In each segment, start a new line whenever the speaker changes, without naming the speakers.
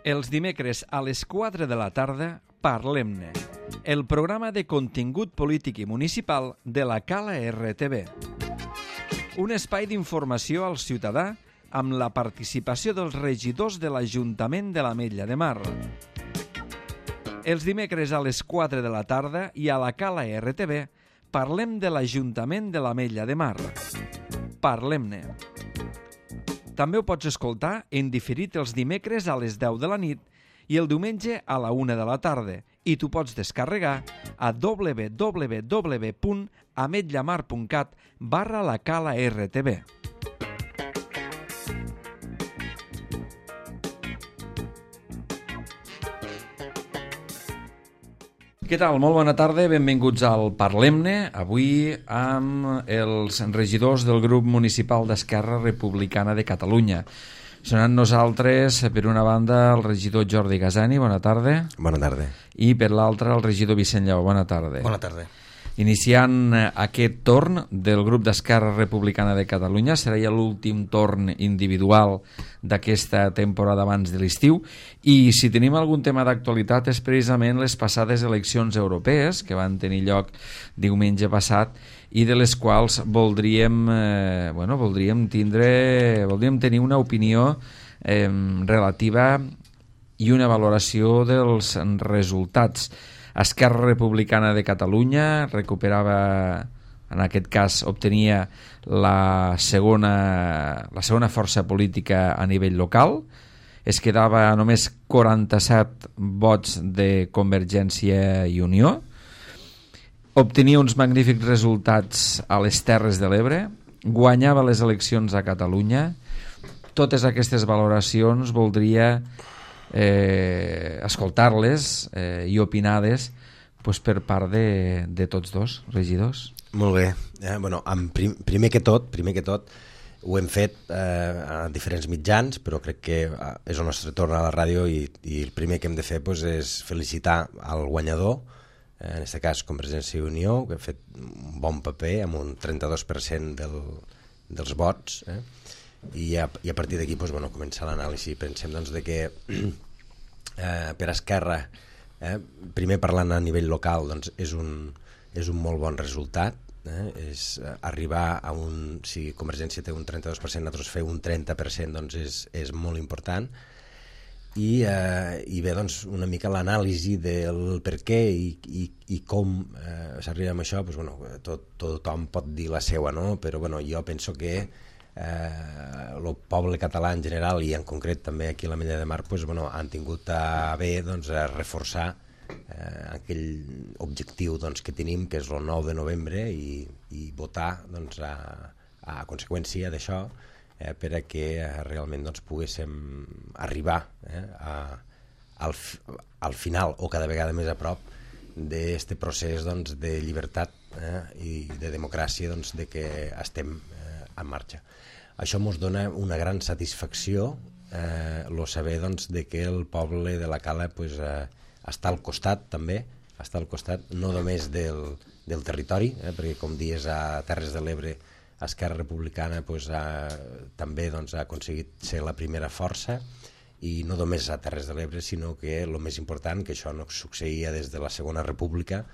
Els dimecres a les 4 de la tarda, Parlem-ne, el programa de contingut polític i municipal de la Cala RTV. Un espai d'informació al ciutadà amb la participació dels regidors de l'Ajuntament de l'Ametlla de Mar. Els dimecres a les 4 de la tarda i a la Cala RTV parlem de l'Ajuntament de l'Ametlla de Mar. Parlem-ne. També ho pots escoltar en diferit els dimecres a les 10 de la nit i el diumenge a la 1 de la tarda i t'ho pots descarregar a www.ametllamar.cat/la Cala RTV. Què tal? Molt bona tarda, benvinguts al Parlem-ne, avui amb els regidors del grup municipal d'Esquerra Republicana de Catalunya. Són amb nosaltres, per una banda, el regidor Jordi Gasani, bona tarda.
Bona tarda.
I per l'altra, el regidor Vicent Lleó, bona tarda.
Bona tarda.
Iniciant aquest torn del grup d'Esquerra Republicana de Catalunya, serà ja l'últim torn individual d'aquesta temporada abans de l'estiu, i si tenim algun tema d'actualitat és precisament les passades eleccions europees que van tenir lloc diumenge passat i de les quals voldríem tenir una opinió relativa i una valoració dels resultats. Esquerra Republicana de Catalunya recuperava, en aquest cas obtenia la segona força política a nivell local, es quedava a només 47 vots de Convergència i Unió, obtenia uns magnífics resultats a les Terres de l'Ebre, guanyava les eleccions a Catalunya. Totes aquestes valoracions voldria escoltar-les i opinar-les per part de tots dos regidors.
Molt bé. Primer que tot ho hem fet a diferents mitjans, però crec que és el nostre torn a la ràdio i el primer que hem de fer és felicitar el guanyador, en aquest cas Convergència i Unió, que ha fet un bon paper amb un 32% dels vots, i a partir d'aquí començar l'anàlisi. Pensem de que per Esquerra, primer parlant a nivell local, és un molt bon resultat, és arribar a si Convergència té un 32%, nosaltres fer un 30% és molt important, i bé, una mica l'anàlisi del per què i com s'arriba amb això. Tothom pot dir la seua, però jo penso que el poble català en general i en concret també aquí a l'Ametlla de Mar han tingut a bé reforçar aquell objectiu que tenim, que és el 9 de novembre, i votar a conseqüència d'això per a que realment poguéssim arribar al final o cada vegada més a prop d'aquest procés de llibertat i de democràcia de què estem en marxa. Això ens dona una gran satisfacció saber de que el poble de la Cala està al costat també, està al costat no només del territori, perquè com dius a Terres de l'Ebre Esquerra Republicana també ha aconseguit ser la primera força, i no només a Terres de l'Ebre, sinó que el més important, que això no succeïa des de la Segona República,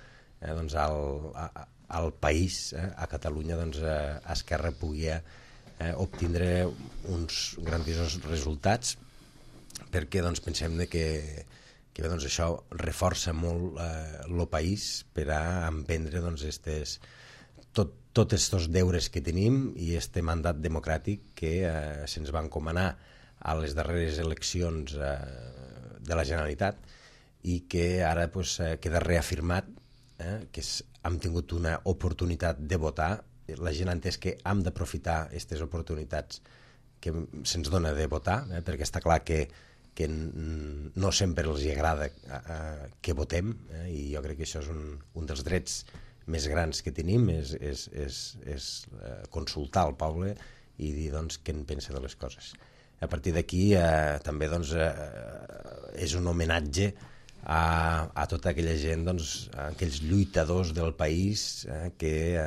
al país, a Catalunya, Esquerra podia obtindre uns grandiosos resultats, perquè pensem que això reforça molt el país per a emprendre tots aquests deures que tenim i aquest mandat democràtic que se'ns va encomanar a les darreres eleccions de la Generalitat i que ara queda reafirmat, que hem tingut una oportunitat de votar. La gent ha entès que hem d'aprofitar aquestes oportunitats que se'ns dona de votar, perquè està clar que no sempre els agrada que votem, i jo crec que això és un dels drets més grans que tenim, és consultar el poble i dir què en pensa de les coses. A partir d'aquí també és un homenatge a tota aquella gent, aquells lluitadors del país, que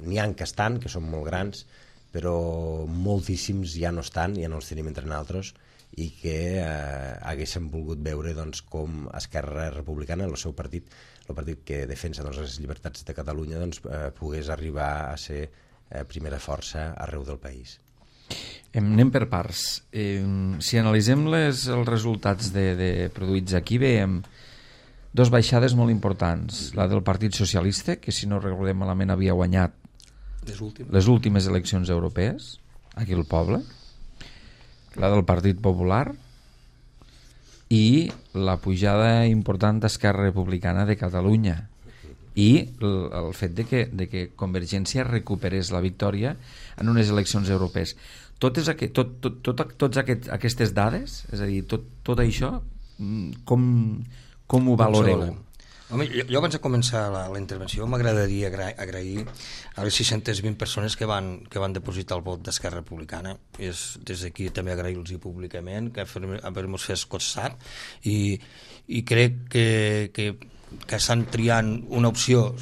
n'hi ha que estan, que són molt grans, però moltíssims ja no estan, ja no els tenim entre nosaltres, i que haguéssim volgut veure doncs, com Esquerra Republicana, el seu partit, el partit que defensa doncs, les llibertats de Catalunya, doncs, pogués arribar a ser primera força arreu del país.
Anem per parts. Si analitzem els resultats produïts aquí, veiem dos baixades molt importants. La del Partit Socialista, que si no recordem malament havia guanyat les últimes eleccions europees aquí al poble, la del Partit Popular i la pujada important d'Esquerra Republicana de Catalunya i el fet de que Convergència recuperés la victòria en unes eleccions europees. Totes aquestes dades, és a dir, tot això, com ho valoreu?
Home, jo abans de començar la intervenció m'agradaria agrair a les 620 persones que van depositar el vot d'Esquerra Republicana. Des d'aquí també agrair-los públicament que haver-nos fet costat i crec que estan triant una opció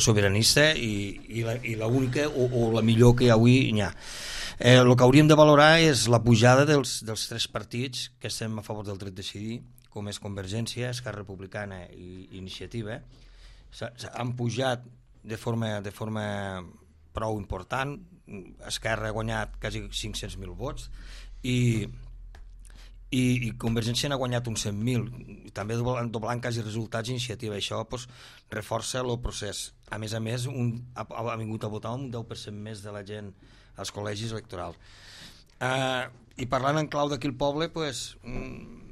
sobiranista i l'única o la millor que avui hi ha. El que hauríem de valorar és la pujada dels tres partits que estem a favor del dret a decidir, com és Convergència, Esquerra Republicana i Iniciativa. Han pujat de forma prou important. Esquerra ha guanyat quasi 500.000 vots i Convergència n'ha guanyat uns 100.000, també doblant quasi resultats. Iniciativa. Això reforça el procés. A més, ha vingut a votar un 10% més de la gent als col·legis electorals. I parlant en clau d'aquí al poble,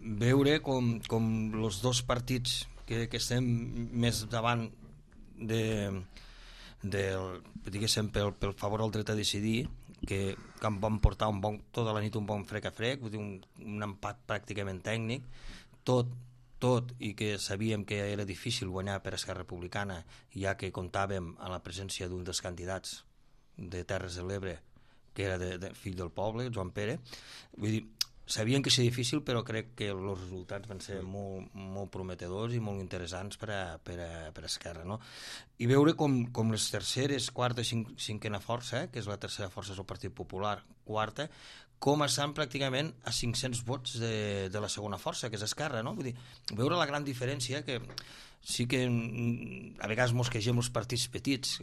veure com els dos partits que estem més davant diguéssim pel favor al dret a decidir, que van portar tota la nit un bon frec a frec, un empat pràcticament tècnic, tot i que sabíem que era difícil guanyar per Esquerra Republicana, ja que comptàvem amb la presència d'un dels candidats de Terres de l'Ebre, que era fill del poble, Joan Pere. Vull dir, sabien que seria difícil, però crec que els resultats van ser molt prometedors i molt interessants per a Esquerra, no? I veure com les terceres, quarta i cinquena força, que és la tercera força és el Partit Popular, quarta, com estan pràcticament a 500 vots de la segona força, que és Esquerra, no? Vull dir, veure la gran diferència, que sí que a vegades mos queixem els partits petits,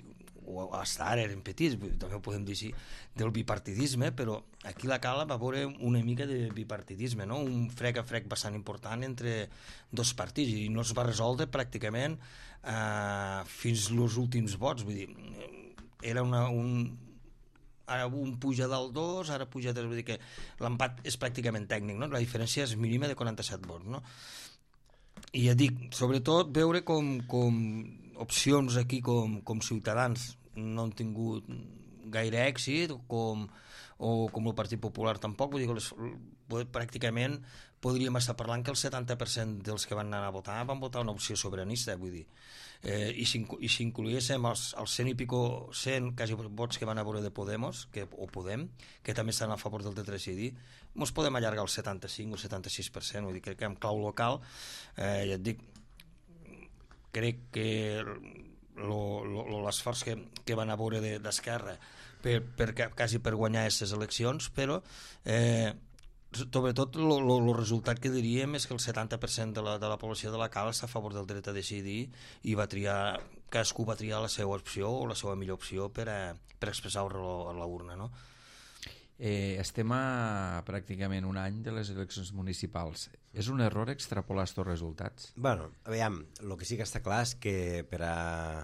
o fins ara eren petits, també ho podem dir així, del bipartidisme, però aquí la Cala va veure una mica de bipartidisme, no? Un frec a frec bastant important entre dos partits, i no es va resoldre pràcticament fins als últims vots. Vull dir, era ara un puja del 2, ara puja 3, vull dir que l'empat és pràcticament tècnic, no? La diferència és mínima de 47 vots, no? I ja dic, sobretot veure com opcions aquí com Ciutadans no han tingut gaire èxit, o com el Partit Popular tampoc. Vull dir que pràcticament podríem estar parlant que el 70% dels que van anar a votar van votar una opció sobiranista, vull dir. I si incloguéssim els 100 i pico, 100 quasi vots que van a veure de Podemos, o Podem, que també estan a favor del dret a decidir, ens podem allargar al 75 o 76%. Vull dir, crec que en clau local, ja et dic, crec que l'esforç que van a veure d'Esquerra quasi per guanyar aquestes eleccions, però sobretot el resultat que diríem és que el 70% de la població de la Cala està a favor del dret a decidir i cadascú va triar la seva opció o la seva millor opció per expressar-ho a la urna, no?
Estem a pràcticament un any de les eleccions municipals. És un error extrapolar aquests resultats?
Bueno, aviam, el que sí que està clar és que per a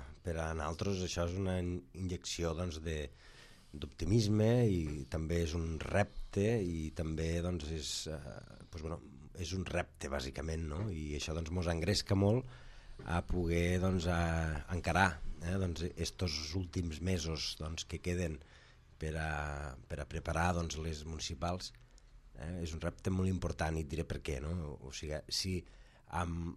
nosaltres això és una injecció doncs, d'optimisme, i també és un repte, i també doncs, és un repte bàsicament, no? I això doncs, ens engresca molt a poder doncs, encarar estos últims mesos doncs, que queden per a preparar doncs, les municipals. És un repte molt important, i et diré per què, no? O sigui, si amb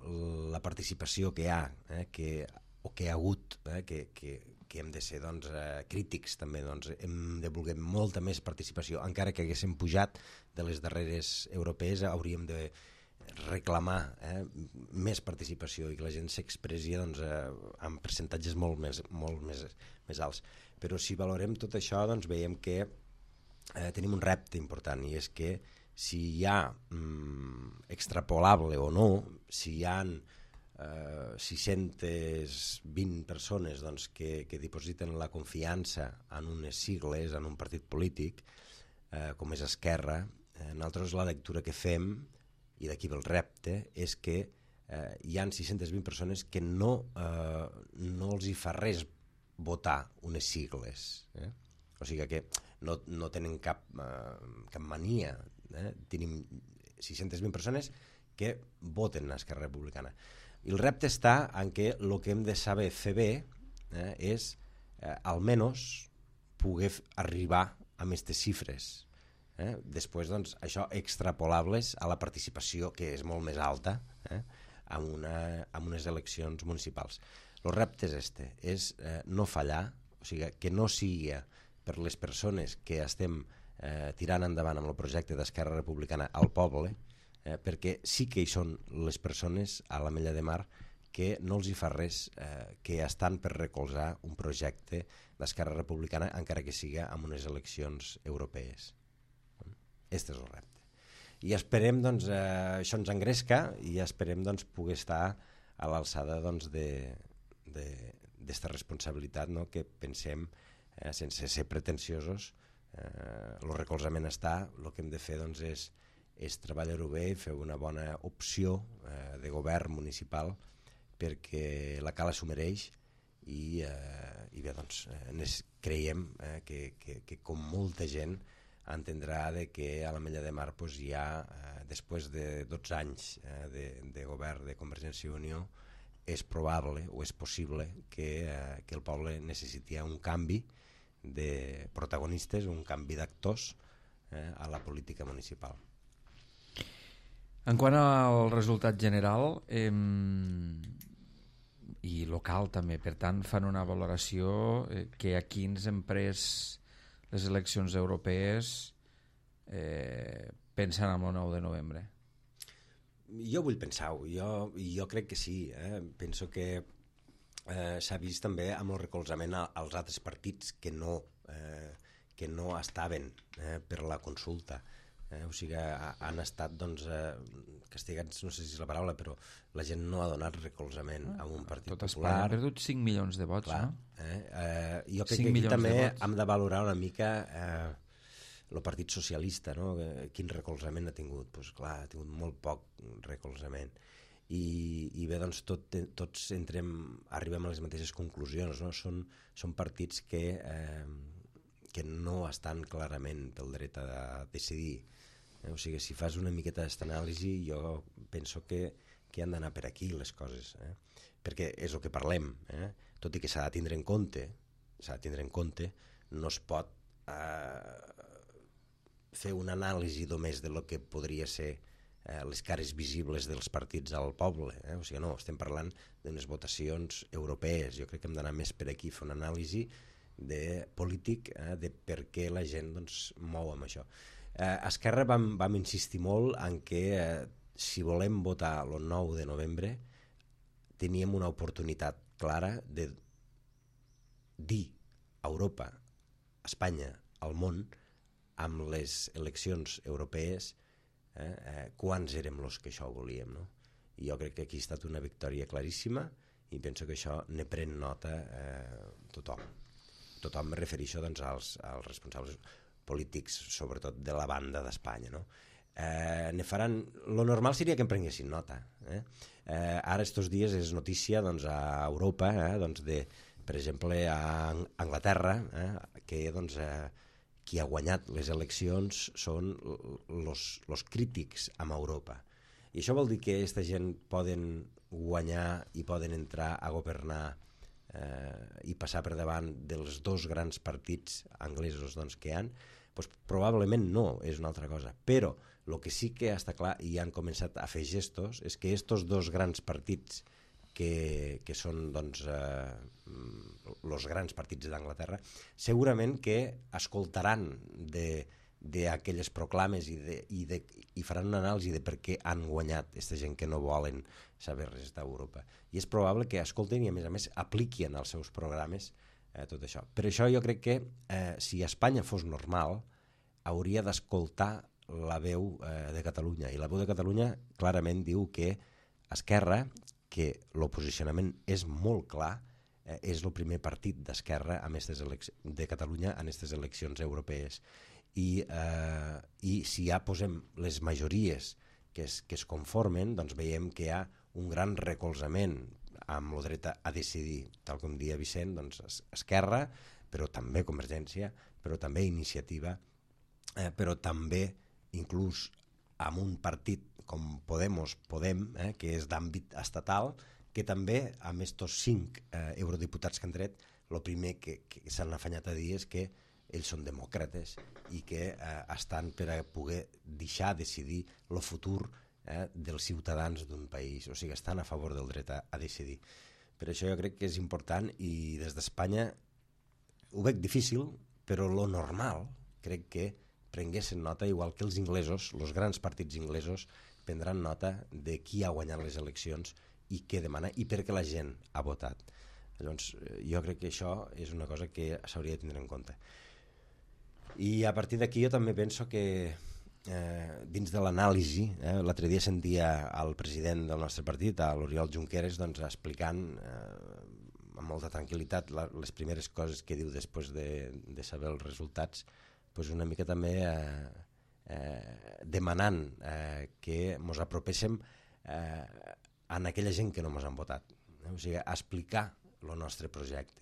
la participació que hi ha, que hi ha hagut, que hem de ser doncs, crítics també, doncs, hem de voler molta més participació, encara que haguéssim pujat de les darreres europees, hauríem de reclamar més participació i que la gent s'expressi doncs, amb percentatges molt més alts. Però si valorem tot això, doncs veiem que tenim un repte important, i és que si hi ha extrapolable o no, si hi ha 620 persones doncs, que dipositen la confiança en unes sigles, en un partit polític, com és Esquerra, nosaltres la lectura que fem, i d'aquí ve el repte, és que hi ha 620 persones que no els hi fa res votar unes sigles. O sigui que no tenen cap mania. Tenim 620 persones que voten a Esquerra Republicana. I el repte està en què el que hem de saber fer bé és almenys poder arribar a aquestes xifres. Després, doncs, això extrapolables a la participació, que és molt més alta, en unes eleccions municipals. El repte és és no fallar, o sigui, que no sigui per les persones que estem tirant endavant amb el projecte d'Esquerra Republicana al poble, perquè sí que hi són les persones a l'Ametlla de Mar que no els hi fa res, que estan per recolzar un projecte d'Esquerra Republicana, encara que siga en unes eleccions europees. Aquest és el repte. I esperem, doncs, això ens engresca i esperem doncs, poder estar a l'alçada doncs, d'esta responsabilitat, no? Que pensem, sense ser pretensiosos, el recolzament està, el que hem de fer doncs, és treballar-ho bé i fer una bona opció de govern municipal perquè la Cala s'ho mereix i bé, doncs, creiem que com molta gent entendrà que a l'Ametlla de Mar doncs, hi ha, després de 12 anys de govern de Convergència i Unió, és probable o és possible que el poble necessiti un canvi de protagonistes, un canvi d'actors a la política municipal.
En quant al resultat general i local també, per tant, fan una valoració que aquí ens hem pres les eleccions europees pensant en el 9 de novembre.
Jo vull pensar-ho, jo crec que sí. Penso que s'ha vist també amb el recolzament als altres partits que no estaven per la consulta. O sigui, han estat doncs, castigats, no sé si és la paraula, però la gent no ha donat recolzament a un partit
popular. Tot
Espanya
ha perdut 5 milions de vots, clar, no?
Jo crec que aquí també hem de valorar una mica el Partit Socialista, no? Quin recolzament ha tingut? Pues, clar, ha tingut molt poc recolzament. I bé, doncs tots arribem a les mateixes conclusions, no? Són partits que no estan clarament pel dret a decidir. O sigui, si fas una miqueta d'esta anàlisi, jo penso que han d'anar per aquí les coses, perquè és el que parlem, tot i que s'ha de tindre en compte, no es pot fer una anàlisi només de lo que podria ser les cares visibles dels partits al poble, o sigui, no, estem parlant d'unes votacions europees. Jo crec que hem d'anar més per aquí, fer una anàlisi de polític, de per què la gent doncs, mou amb això. A Esquerra vam insistir molt en que si volem votar el 9 de novembre teníem una oportunitat clara de dir a Europa, a Espanya, al món, amb les eleccions europees quants érem els que això volíem, no? I jo crec que aquí ha estat una victòria claríssima i penso que això ne pren nota tothom. Tothom me refereixo doncs, als responsables polítics, sobretot de la banda d'Espanya, no? Lo normal seria que en prenguessin nota. Ara estos dies és notícia doncs, a Europa, doncs, per exemple a Anglaterra, que doncs, qui ha guanyat les eleccions són els crítics amb Europa. I això vol dir que aquesta gent poden guanyar i poden entrar a governar i passar per davant dels dos grans partits anglesos doncs, que hi ha, doncs, probablement no, és una altra cosa. Però el que sí que està clar i han començat a fer gestos és que aquests dos grans partits que són doncs, els grans partits d'Anglaterra segurament que escoltaran d'aquelles proclames i faran una anàlisi de per què han guanyat aquesta gent que no volen saber res d'Europa. I és probable que escolten i a més apliquin als seus programes tot això. Per això jo crec que si Espanya fos normal hauria d'escoltar la veu de Catalunya. I la veu de Catalunya clarament diu que Esquerra, que el posicionament és molt clar, és el primer partit d'Esquerra de Catalunya en aquestes eleccions europees. I si ja posem les majories que es conformen, doncs veiem que hi ha un gran recolzament amb el dret a decidir, tal com dia Vicent, doncs Esquerra, però també Convergència, però també Iniciativa, però també inclús amb un partit com Podem, que és d'àmbit estatal, que també amb aquests 5 eurodiputats que han tret, el primer que s'han afanyat a dir és que ells són demòcrates i que estan per a poder deixar decidir el futur dels ciutadans d'un país, o sigui, estan a favor del dret a decidir. Per això jo crec que és important, i des d'Espanya ho veig difícil, però lo normal crec que prenguessin nota, igual que els inglesos, els grans partits inglesos, prendran nota de qui ha guanyat les eleccions i què demana i per què la gent ha votat. Llavors, jo crec que això és una cosa que s'hauria de tindre en compte. I a partir d'aquí jo també penso que dins de l'anàlisi, l'altre dia sentia el president del nostre partit, l'Oriol Junqueras, doncs, explicant amb molta tranquil·litat les primeres coses que diu després de saber els resultats, doncs una mica també demanant que ens apropéssim a aquella gent que no ens han votat, o sigui, a explicar el nostre projecte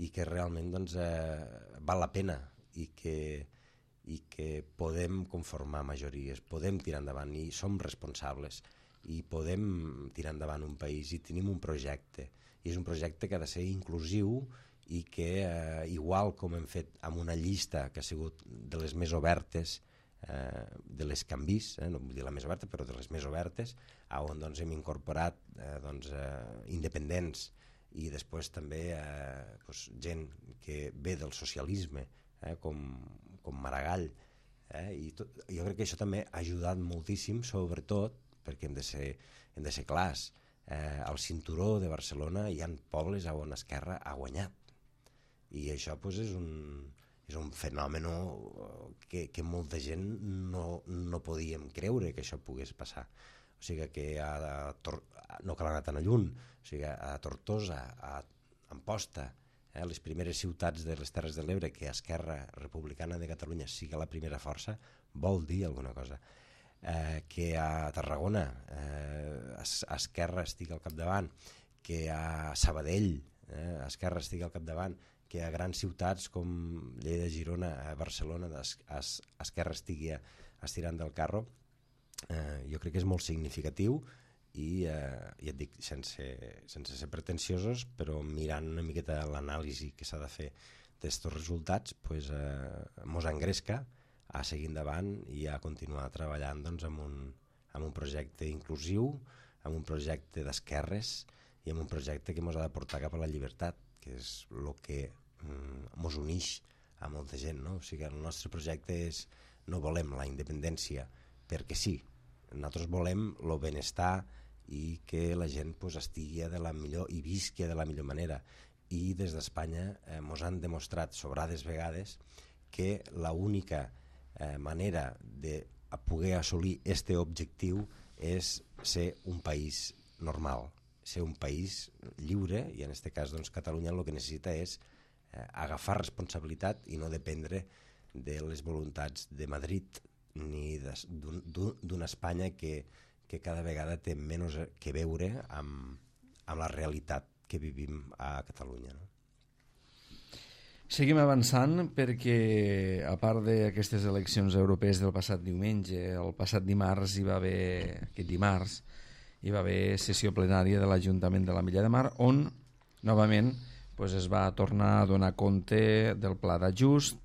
i que realment doncs, val la pena i que podem conformar majories, podem tirar endavant i som responsables i podem tirar endavant un país i tenim un projecte, i és un projecte que ha de ser inclusiu i que igual com hem fet amb una llista que ha sigut de les més obertes, de les canvis, no vull dir la més oberta però de les més obertes, on doncs, hem incorporat independents i després també gent que ve del socialisme, com Maragall, i jo crec que això també ha ajudat moltíssim, sobretot perquè hem de ser clars, al cinturó de Barcelona hi ha pobles on Esquerra ha guanyat, i això és un fenomen que molta gent no podíem creure que això pogués passar. O sigui que no cal anar tan lluny, o sigui, a Tortosa, a Amposta, les primeres ciutats de les Terres de l'Ebre, que Esquerra Republicana de Catalunya sigui la primera força, vol dir alguna cosa. Que a Tarragona Esquerra estigui al capdavant, que a Sabadell Esquerra estigui al capdavant, que a grans ciutats com Lleida, Girona, Barcelona, Esquerra estigui estirant del carro, jo crec que és molt significatiu. I ja et dic, sense ser pretensiosos, però mirant una miqueta l'anàlisi que s'ha de fer d'aquests resultats, mos engresca a seguir endavant i a continuar treballant doncs, amb un projecte inclusiu, amb un projecte d'esquerres i amb un projecte que mos ha de portar cap a la llibertat, que és el que mos uneix a molta gent, no? O sigui, el nostre projecte és, no volem la independència perquè sí, nosaltres volem el benestar i que la gent estigui de la millor i visqui de la millor manera, i des d'Espanya ens han demostrat sobrades vegades que l'única manera de poder assolir aquest objectiu és ser un país normal, ser un país lliure, i en aquest cas doncs, Catalunya el que necessita és agafar responsabilitat i no dependre de les voluntats de Madrid ni d'una Espanya que cada vegada té menys que veure amb la realitat que vivim a Catalunya. No?
Seguim avançant perquè, a part d'aquestes eleccions europees del passat diumenge, el passat dimarts hi va haver sessió plenària de l'Ajuntament de l'Ametlla de Mar, on novament es va tornar a donar compte del pla d'ajust,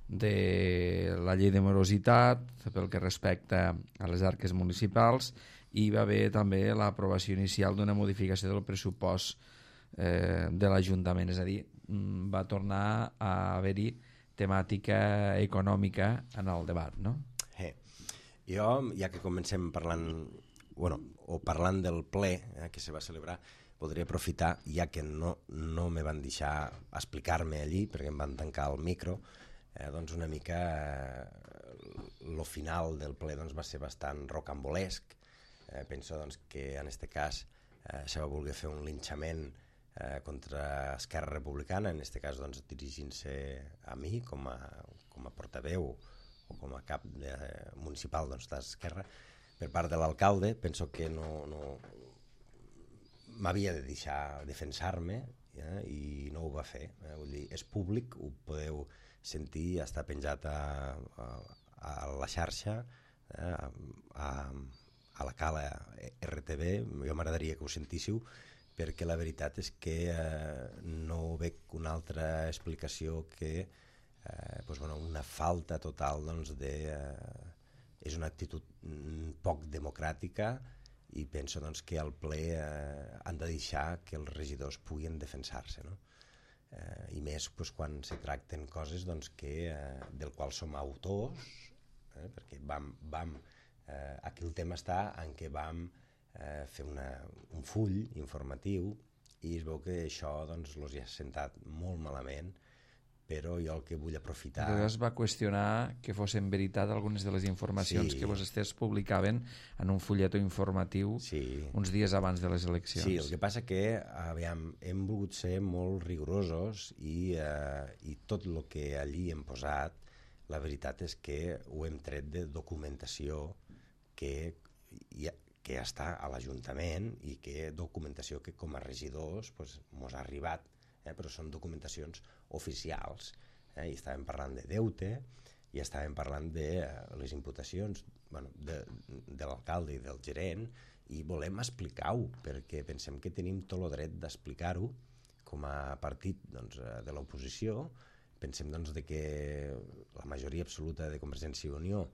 de la llei de morositat pel que respecta a les arques municipals, i hi va haver també l'aprovació inicial d'una modificació del pressupost de l'Ajuntament, és a dir, va tornar a haver-hi temàtica econòmica en el debat, no?
Jo, ja que comencem parlant del ple que se va celebrar, voldria aprofitar, ja que no me van deixar explicar-me allí perquè em van tancar el micro, doncs una mica lo final del ple doncs, va ser bastant rocambolesc. Penso doncs, que en aquest cas se va voler fer un linxament contra Esquerra Republicana, en aquest cas doncs, dirigint-se a mi com a portaveu o com a cap municipal doncs, d'Esquerra per part de l'alcalde. Penso que no m'havia de deixar defensar-me i no ho va fer. Vull dir, és públic, ho podeu sentir, està penjat a la xarxa, a la Cala RTV. Jo m'agradaria que ho sentíssiu, perquè la veritat és que no veig una altra explicació que una falta total doncs, és una actitud poc democràtica, i penso doncs, que al ple han de deixar que els regidors puguin defensar-se, no? I més doncs, quan se tracten coses doncs, del qual som autors, perquè aquí el tema està en què vam fer un full informatiu i es veu que això doncs, els ha sentat molt malament, però jo el que vull aprofitar...
Es va qüestionar que fossin veritat algunes de les informacions que vostès publicaven en un fulletó informatiu uns dies abans de les eleccions.
Sí, el que passa que hem volgut ser molt rigorosos i tot el que allí hem posat, la veritat és que ho hem tret de documentació que està a l'Ajuntament i que documentació que com a regidors mos ha arribat, però són documentacions oficials, i estàvem parlant de deute i estàvem parlant de les imputacions de l'alcalde i del gerent, i volem explicar-ho perquè pensem que tenim tot el dret d'explicar-ho com a partit de l'oposició. Pensem que la majoria absoluta de Convergència i Unió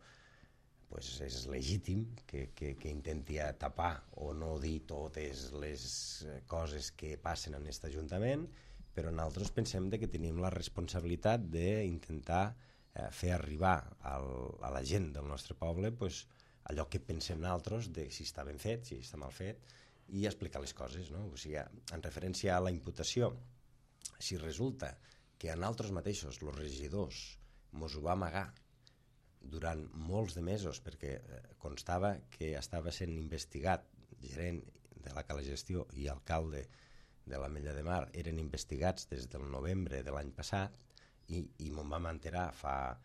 és legítim que intenti tapar o no dir totes les coses que passen en aquest Ajuntament, però nosaltres pensem que tenim la responsabilitat d'intentar fer arribar a la gent del nostre poble allò que pensem nosaltres de si està ben fet, si està mal fet, i explicar les coses, no? O sigui, en referència a la imputació, si resulta que a nosaltres mateixos, els regidors, mos ho va amagar durant molts de mesos, perquè constava que estava sent investigat, gerent de la Cala Gestió i alcalde de l'Ametlla de Mar eren investigats des del novembre de l'any passat, i me'n vam enterar fa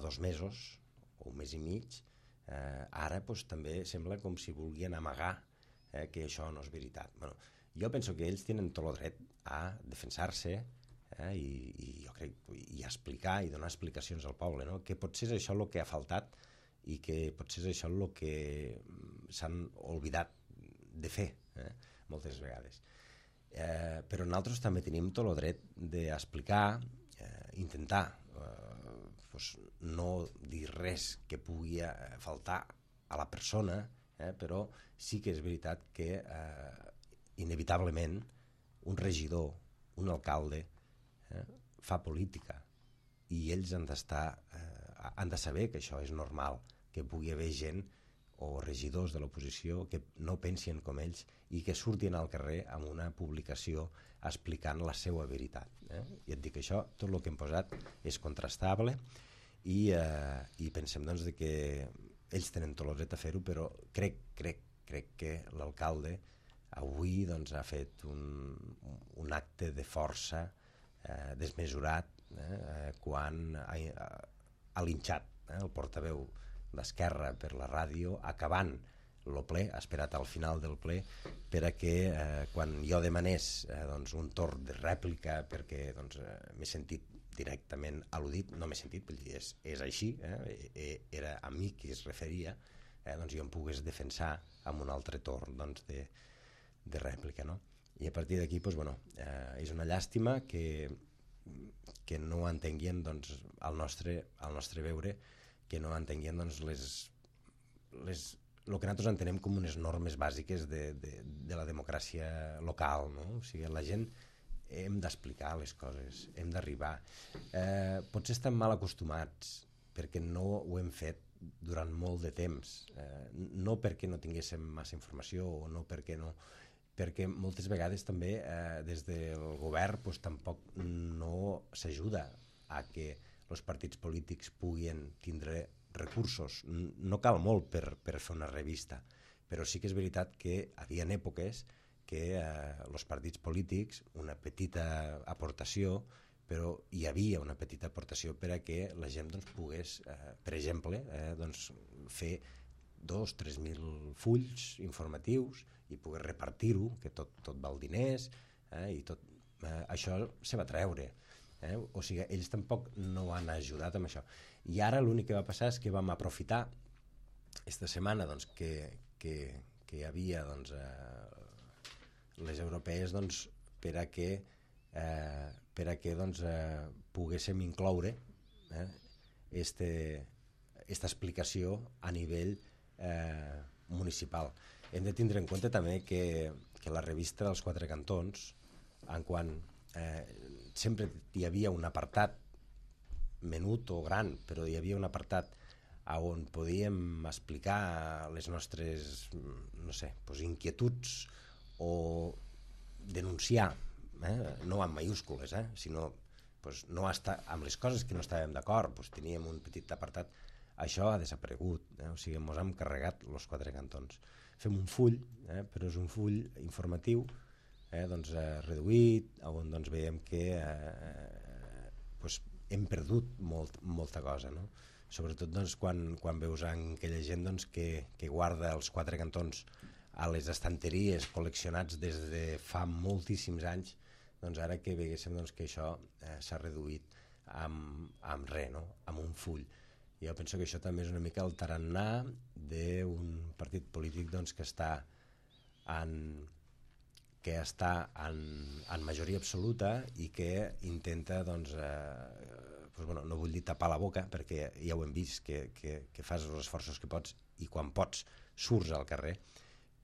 2 mesos o 1 mes i mig. Ara també sembla com si volguien amagar que això no és veritat. Jo penso que ells tenen tot el dret a defensar-se i jo crec i explicar i donar explicacions al poble, no? Que potser és això el que ha faltat i que potser és això el que s'han oblidat de fer moltes vegades. Però nosaltres també tenim tot el dret d'explicar, intentar no dir res que pugui faltar a la persona, però sí que és veritat que inevitablement un regidor, un alcalde fa política, i ells han de saber que això és normal, que pugui haver gent o regidors de l'oposició que no pensin com ells i que surtin al carrer amb una publicació explicant la seva veritat. I et dic això, tot el que hem posat és contrastable i pensem doncs, que ells tenen tot el dret a fer-ho, però crec que l'alcalde avui ha fet un acte de força desmesurat quan ha linxat el portaveu d'Esquerra per la ràdio, acabant el ple, ha esperat al final del ple perquè quan jo demanés un torn de rèplica perquè m'he sentit directament al·ludit, no m'he sentit, vull dir, és així, era a mi qui es referia, jo em pogués defensar amb un altre torn de rèplica, no? I a partir d'aquí és una llàstima que no entenguien al nostre veure, que no entenguien el que nosaltres entenem com unes normes bàsiques de la democràcia local, no? O sigui, la gent hem d'explicar les coses, hem d'arribar. Potser estem mal acostumats perquè no ho hem fet durant molt de temps, no perquè no tinguéssim massa informació o no perquè moltes vegades també des del govern tampoc no s'ajuda a que els partits polítics puguin tindre recursos, no cal molt per fer una revista, però sí que és veritat que hi havia èpoques que els partits polítics, una petita aportació, però hi havia una petita aportació per a que la gent doncs, pogués, per exemple, doncs, fer 2.000-3.000 fulls informatius i poder repartir-ho, que tot val diners, i tot això se va treure. O sigui, ells tampoc no han ajudat amb això. I ara l'únic que va passar és que vam aprofitar esta setmana doncs, que hi havia doncs, les europees doncs, per a que doncs, poguéssim incloure esta explicació a nivell municipal. Hem de tindre en compte també que la revista dels Quatre Cantons, en quan sempre hi havia un apartat menut o gran, però hi havia un apartat on podíem explicar les nostres, no sé, doncs inquietuds o denunciar, no amb mayúscules, sinó doncs, no estar amb les coses que no estàvem d'acord, doncs, teníem un petit apartat. Això ha desaparegut, o sigui, ens hem carregat els Quatre Cantons. Fem un full, però és un full informatiu doncs, reduït, on doncs, veiem que doncs, hem perdut molta cosa, no? Sobretot doncs, quan veus aquella gent doncs, que guarda els Quatre Cantons a les estanteries col·leccionats des de fa moltíssims anys, doncs ara que veguéssim doncs, que això s'ha reduït amb res, no? Amb un full. Jo penso que això també és una mica el tarannà d'un partit polític doncs, que està en majoria absoluta i que intenta doncs, no vull dir tapar la boca perquè ja ho hem vist que fas els esforços que pots i quan pots surts al carrer,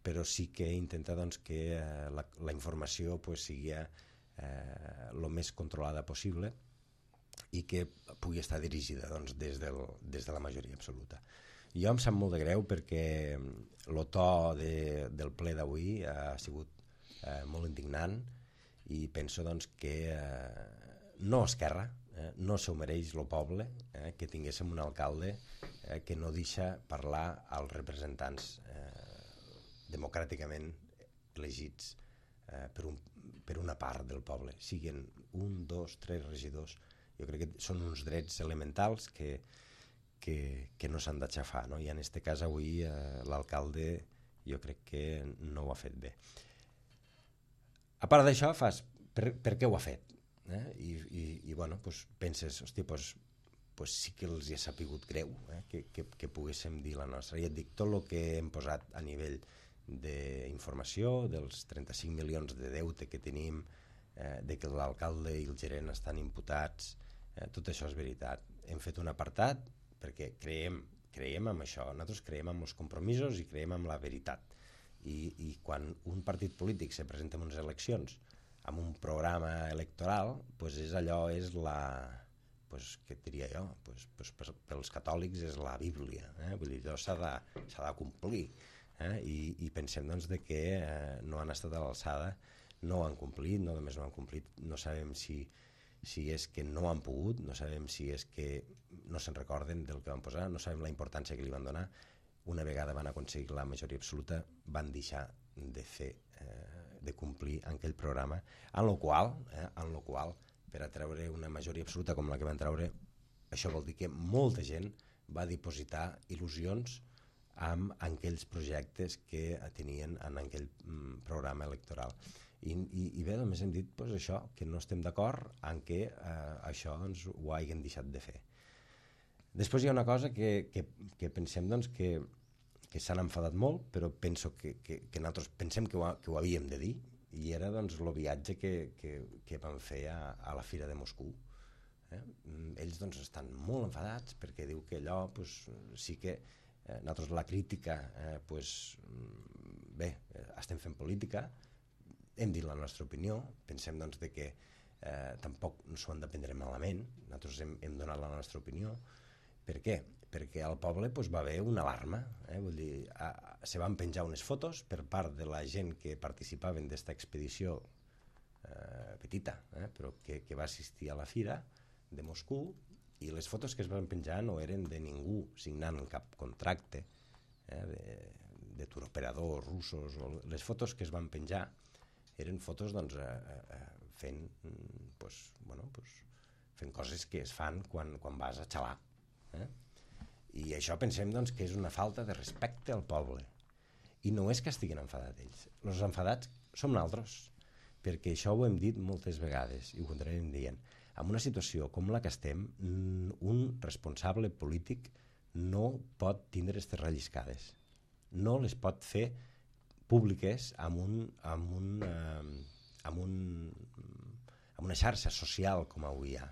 però sí que intenta doncs, que la informació pues, sigui el més controlada possible i que pugui estar dirigida doncs, des de la majoria absoluta. Jo em sap molt de greu perquè el to del ple d'avui ha sigut molt indignant i penso doncs, que no Esquerra, no s'ho mereix el poble, que tinguéssim un alcalde que no deixa parlar als representants democràticament elegits per una part del poble, siguin 1, 2, 3 regidors. Jo crec que són uns drets elementals que no s'han d'aixafar, no? I en aquest cas avui l'alcalde jo crec que no ho ha fet bé. A part d'això fas per què ho ha fet? I bueno, doncs penses, hòstia, doncs sí que els hi ha sapigut greu que poguéssim dir la nostra. I et dic, tot el que hem posat a nivell d'informació, dels 35 milions de deute que tenim, de que l'alcalde i el gerent estan imputats, tot això és veritat. Hem fet un apartat perquè creiem en això, nosaltres creiem en els compromisos i creiem en la veritat. I quan un partit polític se presenta en unes eleccions amb un programa electoral, doncs és allò, és la... què et diria jo? Pels catòlics és la Bíblia, vull dir, allò s'ha de complir. I pensem doncs, que no han estat a l'alçada, no ho han complit, no només no ho han complit, no sabem si és que no han pogut, no sabem si és que no se'n recorden del que van posar, no sabem la importància que li van donar. Una vegada van aconseguir la majoria absoluta, van deixar de complir aquell programa, en el qual per a treure una majoria absoluta com la que van treure, això vol dir que molta gent va dipositar il·lusions amb aquells projectes que tenien en aquell programa electoral. I bé, només hem dit doncs, això, que no estem d'acord en que això doncs, ho hagin deixat de fer. Després hi ha una cosa que pensem doncs, que s'han enfadat molt, però penso que nosaltres pensem que ho havíem de dir, i era doncs, el viatge que van fer a la Fira de Moscou. Ells doncs, estan molt enfadats perquè diu que allò doncs, sí que nosaltres la crítica bé, estem fent política, hem dit la nostra opinió, pensem doncs, que tampoc s'ho han de prendre malament, nosaltres hem donat la nostra opinió. Per què? Perquè al poble va haver una alarma, vull dir, se van penjar unes fotos per part de la gent que participaven d'esta expedició petita, però que va assistir a la Fira de Moscou, I les fotos que es van penjar no eren de ningú signant cap contracte, de turoperadors russos. Les fotos que es van penjar eren fotos doncs, fent coses que es fan quan vas a xalar. I això pensem doncs, que és una falta de respecte al poble. I no és que estiguin enfadats ells. Els enfadats som nosaltres, perquè això ho hem dit moltes vegades i ho continuarem dient. En una situació com la que estem, un responsable polític no pot tindre aquestes relliscades. No les pot fer públiques amb una xarxa social com avui hi ha.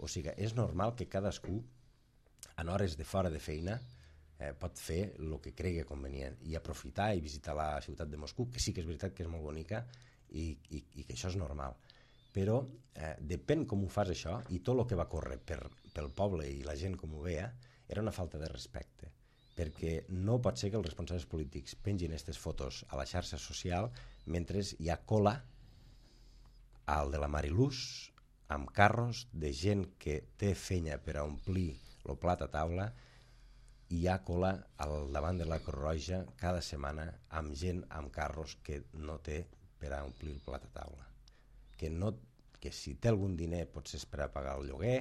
O sigui, és normal que cadascú, en hores de fora de feina, pot fer el que cregui convenient i aprofitar i visitar la ciutat de Moscou, que sí que és veritat que és molt bonica i que això és normal. Però depèn com ho fas això, i tot el que va córrer pel poble i la gent com ho veia era una falta de respecte, perquè no pot ser que els responsables polítics pengin aquestes fotos a la xarxa social mentre hi ha cola al de la Mariluz amb carros de gent que té feina per a omplir el plat a taula. Hi ha cola al davant de la Creu Roja cada setmana amb gent amb carros que no té per a omplir el plat a taula, que si té algun diner potser és per a pagar el lloguer,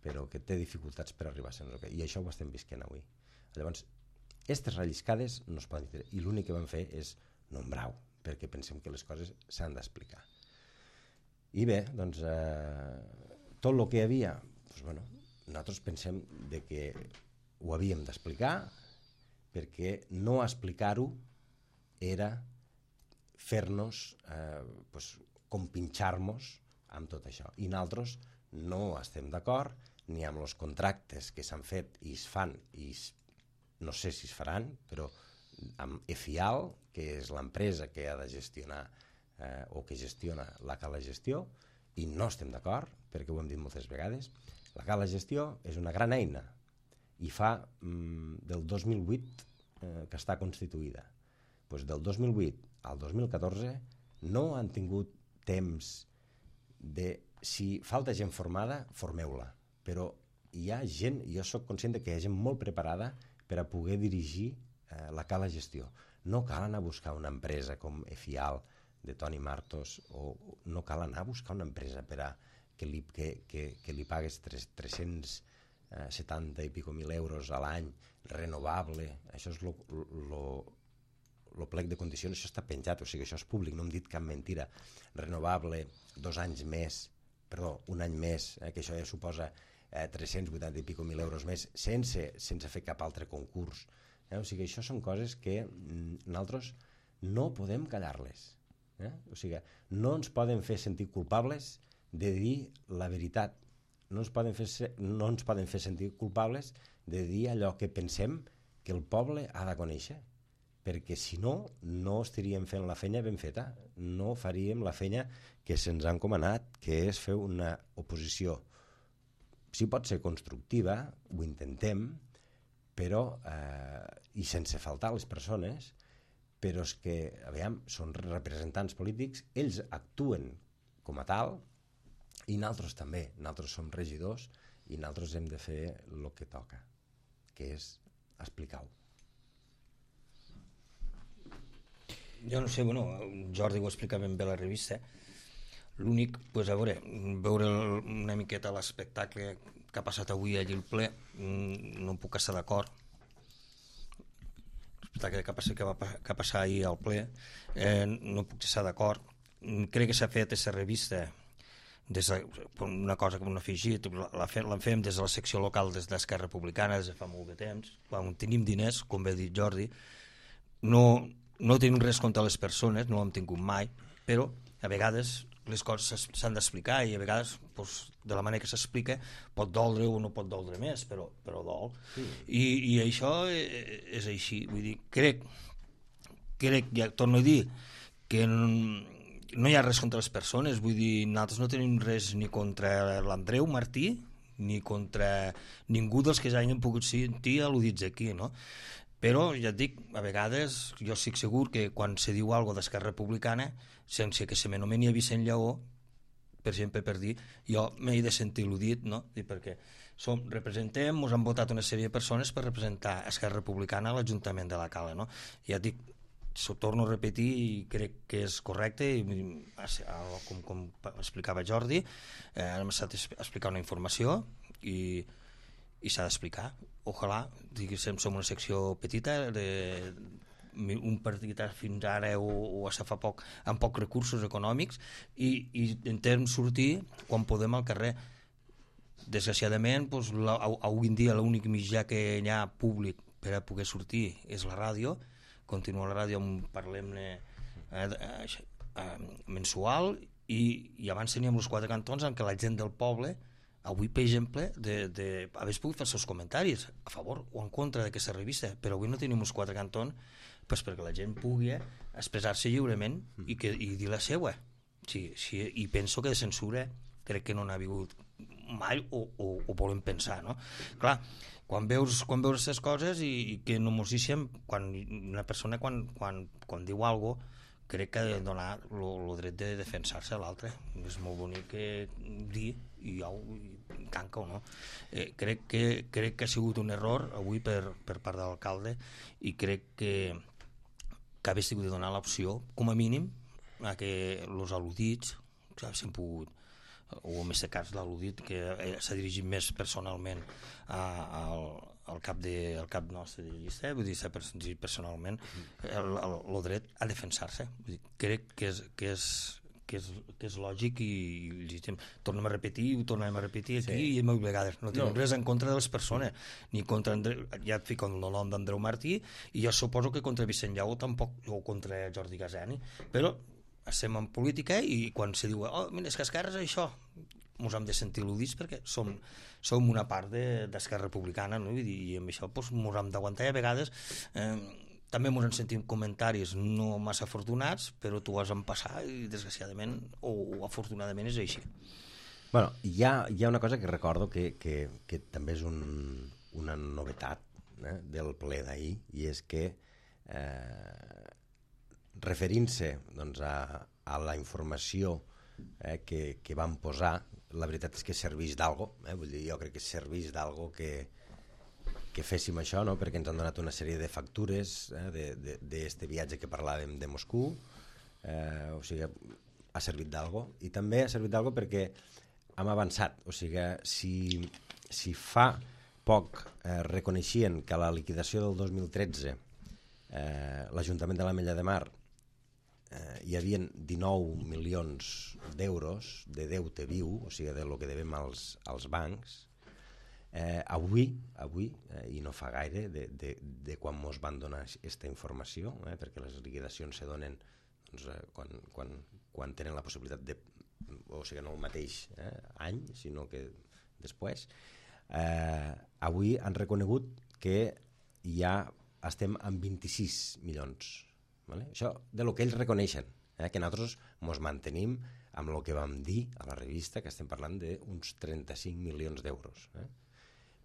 però que té dificultats per arribar a ser lloguer, i això ho estem visquent avui. Llavors, aquestes relliscades no es poden dir, i l'únic que van fer és nombrar-ho, perquè pensem que les coses s'han d'explicar. I bé, doncs, tot el que hi havia, doncs, bueno, nosaltres pensem de que ho havíem d'explicar, perquè no explicar-ho era fer-nos compinxar-nos amb tot això. I nosaltres no estem d'acord ni amb els contractes que s'han fet i es fan, i no sé si es faran, però amb EFIAL, que és l'empresa que ha de gestionar o que gestiona la Cala Gestió, i no estem d'acord, perquè ho hem dit moltes vegades. La Cala Gestió és una gran eina, i fa del 2008 que està constituïda. Doncs del 2008 al 2014 no han tingut temps de... Si falta gent formada, formeu-la. Però hi ha gent, jo sóc conscient que hi ha gent molt preparada per a poder dirigir la Cala Gestió. No cal anar a buscar una empresa com EFIAL de Toni Martos, o no cal anar a buscar una empresa per a que li pagues 370 i pico mil euros a l'any, renovable. Això és el plec de condicions, això està penjat, o sigui, això és públic, no hem dit cap mentira. Renovable, 2 anys més, perdó, un any més, que això ja suposa 380 i pico mil euros més, sense fer cap altre concurs. O sigui, això són coses que nosaltres no podem callar-les. O sigui, no ens poden fer sentir culpables de dir la veritat. No ens poden fer sentir culpables de dir allò que pensem que el poble ha de conèixer, perquè si no, no estaríem fent la feina ben feta, no faríem la feina que se'ns ha encomanat, que és fer una oposició. Si pot ser constructiva, ho intentem, però, i sense faltar a les persones, però és que, aviam, són representants polítics, ells actuen com a tal, i nosaltres també, nosaltres som regidors i nosaltres hem de fer el que toca, que és explicar-ho.
Jo no sé, bueno, Jordi ho explica ben bé a la revista. L'únic, doncs, a veure una miqueta l'espectacle que ha passat avui allí al ple, no puc estar d'acord. L'espectacle que va passar ahir al ple, no puc estar d'acord. Crec que s'ha fet aquesta revista una cosa que m'han afegit, l'en fem des de la secció local d'Esquerra Republicana des de fa molt de temps, quan tenim diners, com bé ha dit Jordi, no tenim res contra les persones, no ho hem tingut mai, però a vegades les coses s'han d'explicar i a vegades de la manera que s'explica pot doldre o no pot doldre més, però dol. I això és així, vull dir, crec, ja torno a dir, que no hi ha res contra les persones, vull dir, nosaltres no tenim res ni contra l'Andreu Martí ni contra ningú dels que s'hagin pogut sentir al·ludits aquí, no? Però, ja et dic, a vegades jo estic segur que quan se diu alguna cosa d'Esquerra Republicana, sense que se m'anomeni a Vicent Lleó, per exemple, per dir, jo m'he de sentir il·ludit, no? Perquè representem, ens han votat una sèrie de persones per representar Esquerra Republicana a l'Ajuntament de la Cala, no? Ja et dic, s'ho torno a repetir i crec que és correcte, com explicava Jordi, hem estat a explicar una informació i s'ha d'explicar. Ojalà, diguéssim, som una secció petita, un partit fins ara o a fa poc amb pocs recursos econòmics i intentem sortir quan podem al carrer. Desgraciadament, avui en dia l'únic mitjà que hi ha públic per a poder sortir és la ràdio. Continua la ràdio amb Parlem-ne mensual i abans teníem els 4 cantons en què la gent del poble avui, per exemple, hagués pogut fer els seus comentaris a favor o en contra d'aquesta revista, però avui no tenim els 4 cantons perquè la gent pugui expressar-se lliurement i dir la seva. I penso que de censura crec que no n'ha hagut mai o volem pensar, no? Clar, quan veus aquestes coses i que no mos deixem, quan una persona quan diu alguna cosa, crec que ha de donar el dret de defensar-se a l'altre. És molt bonic dir i tanca o no. Crec que ha sigut un error avui per part de l'alcalde i crec que hagués tingut de donar l'opció, com a mínim, a que els al·ludits s'han pogut, o en aquest cas l'al·ludit que s'ha dirigit més personalment al cap nostre de llista, vull dir, s'ha dirigit personalment el dret a defensar-se. Crec que és lògic i tornem a repetir aquí i molt vegades no tenim res en contra de les persones ni contra ja et fico el nom d'Andreu Martí i jo suposo que contra Vicent Lleó tampoc, o contra Jordi Gaseni, però estem en política i quan se diu mira, és que Esquerra és això, ens hem de sentir il·ludits perquè som una part d'Esquerra Republicana, no? I amb això ens hem d'aguantar i a vegades també ens en sentim comentaris no massa afortunats, però tu has en passar i desgraciadament o afortunadament és així.
Bueno, hi ha una cosa que recordo que també és una novetat del ple d'ahir, i és que referint-se doncs, a la informació que van posar, la veritat és que serveix d'algo, vull dir, jo crec que serveix d'algo que féssim això, no? Perquè ens han donat una sèrie de factures d'este viatge que parlàvem de Moscou, o sigui, ha servit d'algo, i també ha servit d'algo perquè hem avançat, o sigui, si fa poc reconeixien que a la liquidació del 2013 l'Ajuntament de l'Ametlla de Mar hi havia 19 milions d'euros de deute viu, o sigui, de lo que devem als bancs, avui i no fa gaire de quan mos van donar aquesta informació, perquè les liquidacions se donen doncs, quan tenen la possibilitat de, o sigui, no el mateix any, sinó que després, avui han reconegut que ja estem en 26 milions, vale? Això de lo que ells reconeixen, que nosaltres mos mantenim amb el que vam dir a la revista, que estem parlant d'uns 35 milions d'euros,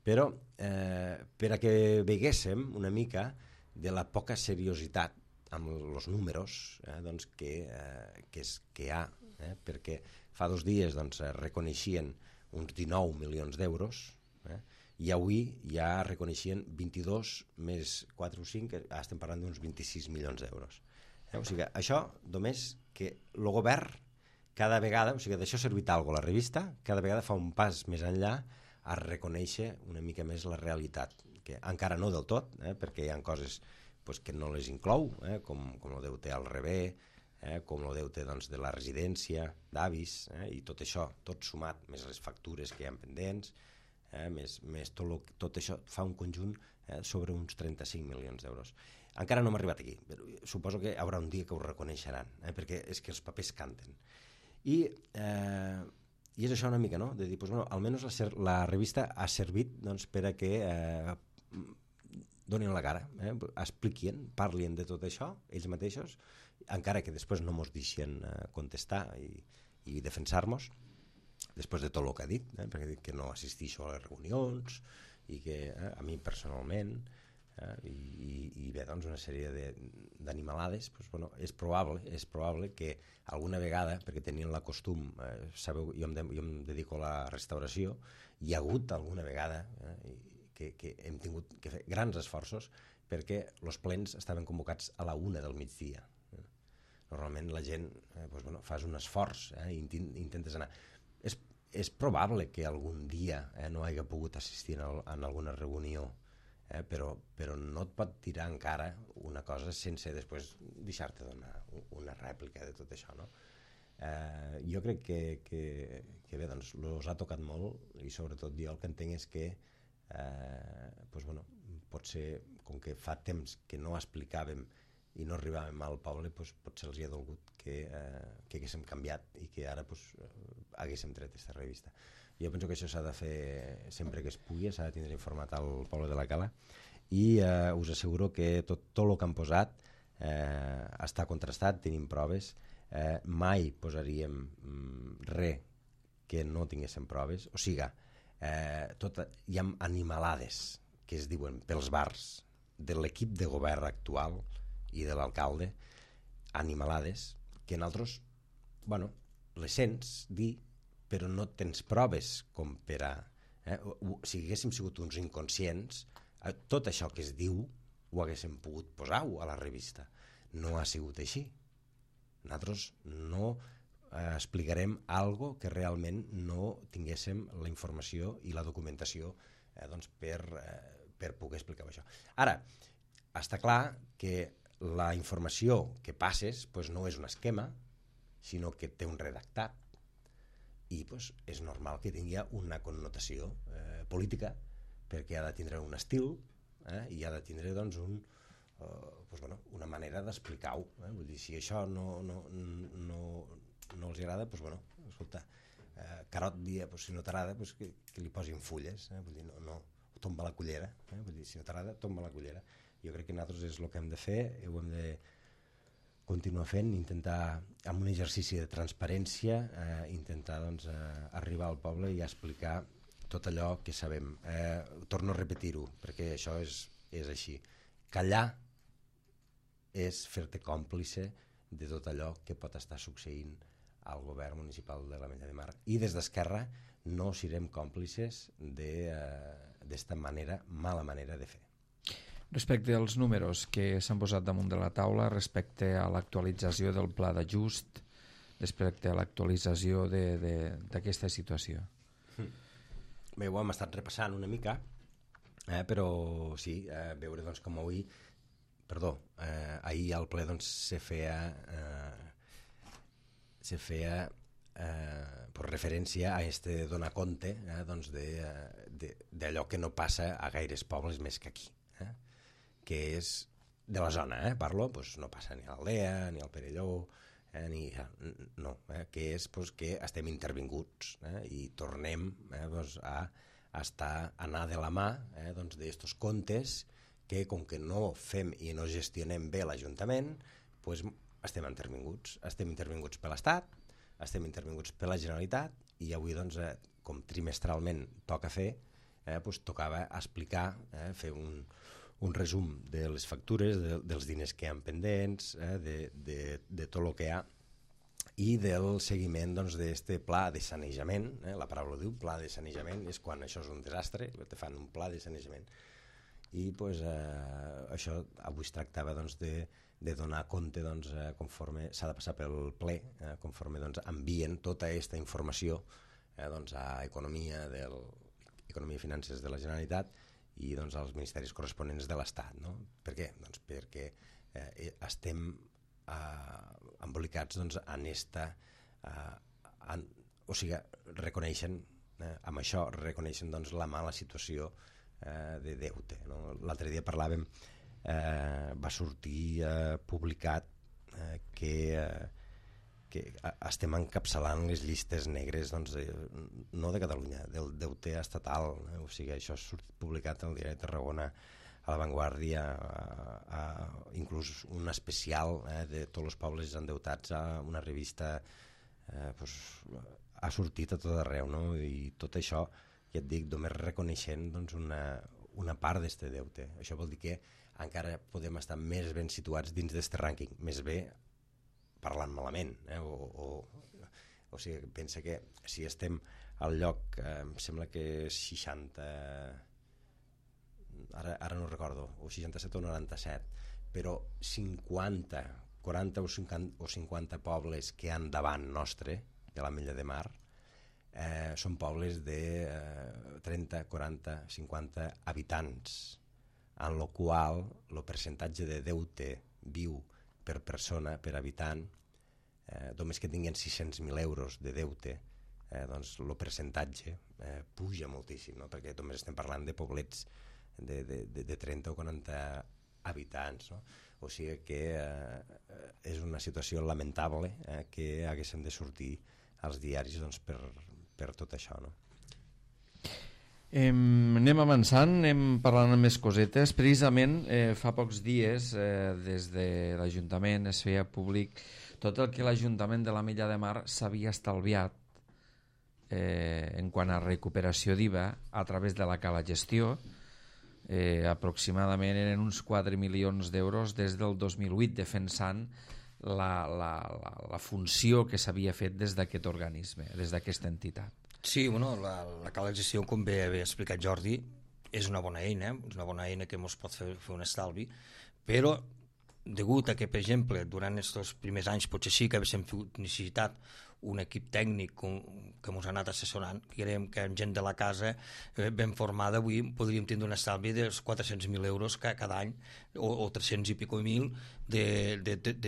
però per a que veguéssim una mica de la poca seriositat amb els números doncs, que hi ha, perquè fa 2 dies doncs, reconeixien uns 19 milions d'euros i avui ja reconeixien 22 més 4 o 5, estem parlant d'uns 26 milions d'euros. O sigui, això només que el govern cada vegada, o sigui, d'això ha servit alguna cosa la revista, cada vegada fa un pas més enllà a reconèixer una mica més la realitat, que encara no del tot, perquè hi ha coses pues, que no les inclou, com el deute al rebé, com el deute doncs, de la residència d'avis, i tot això, tot sumat, més les factures que hi ha pendents, més tot això fa un conjunt sobre uns 35 milions d'euros. Encara no hem arribat aquí, però suposo que hi haurà un dia que ho reconeixeran, perquè és que els papers canten. I és això una mica, no? De dir, pues, bueno, almenys la revista ha servit doncs, per a que donin la cara, expliquin, parlin de tot això, ells mateixos, encara que després no mos deixen contestar i defensar-nos, després de tot el que ha dit, perquè ha dit que no assistixo a les reunions i que a mi personalment I bé, doncs una sèrie d'animalades, doncs, bueno, és probable que alguna vegada, perquè tenien la costum, sabeu, jo em dedico a la restauració, hi ha hagut alguna vegada que hem tingut que fer grans esforços perquè els plens estaven convocats a la 1 del migdia. Normalment la gent doncs, bueno, fas un esforç, intentes anar. És probable que algun dia no hagi pogut assistir en alguna reunió, però no et pot tirar encara una cosa sense després deixar-te donar una rèplica de tot això, no? Jo crec que bé, doncs, els ha tocat molt i sobretot jo el que entenc és que doncs, bueno, potser com que fa temps que no explicàvem i no arribàvem al poble, doncs, potser els hi ha dolgut que haguéssim canviat i que ara doncs, haguéssim tret aquesta revista. Jo penso que això s'ha de fer sempre que es pugui, s'ha de tindre informat al poble de la Cala i us asseguro que tot el que han posat està contrastat, tenim proves, mai posaríem res que no tinguéssim proves, o sigui, hi ha animalades que es diuen pels bars de l'equip de govern actual i de l'alcalde, animalades que nosaltres, bueno, les sents dir, però no tens proves com per a... Si haguéssim sigut uns inconscients, tot això que es diu ho haguéssim pogut posar-ho a la revista. No ha sigut així. Nosaltres no explicarem algo que realment no tinguéssim la informació i la documentació doncs per poder explicar això. Ara, està clar que la informació que passes doncs no és un esquema, sinó que té un redactat i doncs, és normal que tingui una connotació política perquè ha de tindre un estil i ha de tindre doncs, doncs, bueno, una manera d'explicar-ho. Vull dir, si això no els agrada, doncs, bueno, escolta, Carot dia, doncs, si no t'agrada, doncs, que li posin fulles, vull dir, no tomba la cullera, vull dir, si no t'agrada, tomba la cullera. Jo crec que nosaltres és el que hem de fer, ho hem de continuar fent, intentar, amb un exercici de transparència, intentar doncs, arribar al poble i explicar tot allò que sabem. Torno a repetir-ho, perquè això és així. Callar és fer-te còmplice de tot allò que pot estar succeint al govern municipal de l'Ametlla de Mar. I des d'Esquerra no serem còmplices d'esta mala manera de fer.
Respecte als números que s'han posat damunt de la taula, respecte a l'actualització del pla d'ajust, respecte a l'actualització d'aquesta situació.
Bé, ho hem estat repassant una mica, però sí, veure doncs, com avui, ahir al ple doncs, se feia per referència a donar compte doncs, d'allò que no passa a gaires pobles més que aquí, que és de la zona, parlo, doncs no passa ni a l'Aldea, ni al Perelló, que és doncs, que estem intervinguts i tornem doncs, a anar de la mà doncs, d'estos comptes que com que no fem i no gestionem bé l'Ajuntament, doncs, estem intervinguts per l'Estat, estem intervinguts per la Generalitat i avui, doncs, com trimestralment toca fer, doncs, tocava explicar, fer un resum de les factures, dels diners que hi ha pendents, de tot el que hi ha i del seguiment d'aquest pla de sanejament. La paraula diu pla de sanejament, és quan això és un desastre, te fan un pla de sanejament. I doncs, això avui es tractava doncs, de donar compte doncs, conforme s'ha de passar pel ple, conforme doncs, envien tota aquesta informació doncs, a Economia i Finances de la Generalitat i doncs, als ministeris corresponents de l'Estat. No? Per què? Doncs perquè estem embolicats doncs, o sigui, reconeixen, amb això reconeixen doncs, la mala situació de deute. No? L'altre dia parlàvem, va sortir publicat que estem encapçalant les llistes negres doncs, no de Catalunya, del deute estatal, o sigui, això ha sortit publicat al Diari de Tarragona, a La Vanguardia, inclús un especial de tots els pobles endeutats, a una revista, ha sortit a tot arreu, no? I tot això, ja et dic, només reconeixent doncs, una part d'aquest deute. Això vol dir que encara podem estar més ben situats dins d'aquest rànquing, més bé parlant malament, o sigui, pensa que si estem al lloc, em sembla que 60, ara no recordo, o 67 o 97, però 50, 40 o 50 pobles que han davant nostre, de l'Ametlla de Mar, són pobles de 30, 40, 50 habitants, en el qual el percentatge de deute viu per persona, per habitant, només que tinguin 600.000 euros de deute, doncs el percentatge puja moltíssim, no? Perquè només estem parlant de poblets de 30 o 40 habitants, no? O sigui que és una situació lamentable que haguéssim de sortir als diaris doncs, per tot això, no?
Anem avançant, anem parlant amb més cosetes. Precisament fa pocs dies des de l'Ajuntament es feia públic tot el que l'Ajuntament de l'Ametlla de Mar s'havia estalviat en quant a recuperació d'IVA a través de la Cala Gestió. Aproximadament eren uns 4 milions d'euros des del 2008, defensant la funció que s'havia fet des d'aquest organisme, des d'aquesta entitat.
Sí, bueno, la Cala de Gestió, com bé havia explicat Jordi, és una bona eina que ens pot fer un estalvi, però degut a que, per exemple, durant aquests primers anys potser sí que haguéssim necessitat un equip tècnic que ens ha anat assessorant, creiem que amb gent de la casa ben formada avui podríem tindre un estalvi dels 400.000 euros cada any o 300 i pico mil de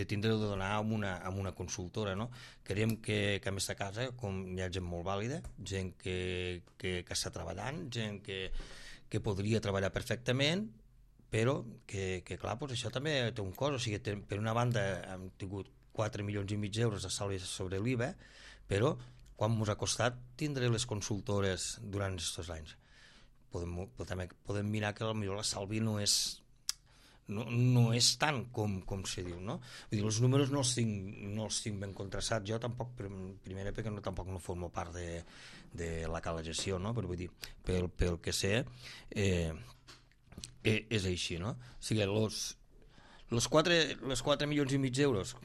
tindre de donar amb una consultora, no? Creiem que en aquesta casa hi ha gent molt vàlida, gent que està treballant, gent que podria treballar perfectament, però que clar, doncs això també té un cost, o sigui, per una banda hem tingut 4 milions i mig d'euros d'estalvi sobre l'IVA, però quan ens ha costat tindre les consultores durant aquests anys? Podem mirar que potser l'estalvi no és tant com se diu, no? Vull dir, els números no els tinc ben contrastats, jo tampoc, primera perquè tampoc no formo part de la Cala Gestió, no? Però vull dir, pel que sé és així, no? O sigui, els 4 milions i mig d'euros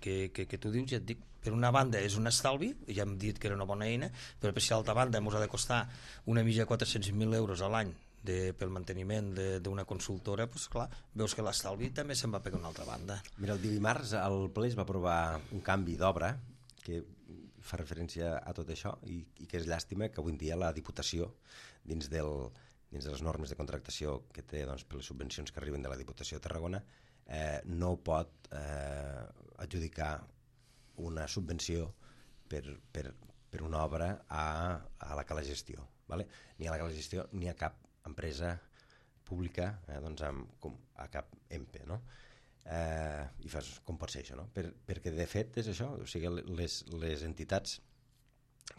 que tu dius, ja et dic, per una banda és un estalvi, ja hem dit que era una bona eina, però per si a l'altra banda ens ha de costar una mitja de 400.000 euros a l'any pel manteniment d'una consultora, doncs clar, veus que l'estalvi també se'n va pegar una altra banda.
Mira, el dimarts al ple es va aprovar un canvi d'obra que fa referència a tot això i que és llàstima que avui en dia la Diputació, dins de les normes de contractació que té doncs, per les subvencions que arriben de la Diputació de Tarragona, no pot adjudicar una subvenció per una obra a la Cala Gestió, ¿vale? Ni a la Cala Gestió ni a cap empresa pública, doncs a cap EMPE, no? I fas, com pot ser això, no? Perquè de fet és això, o sigui, les entitats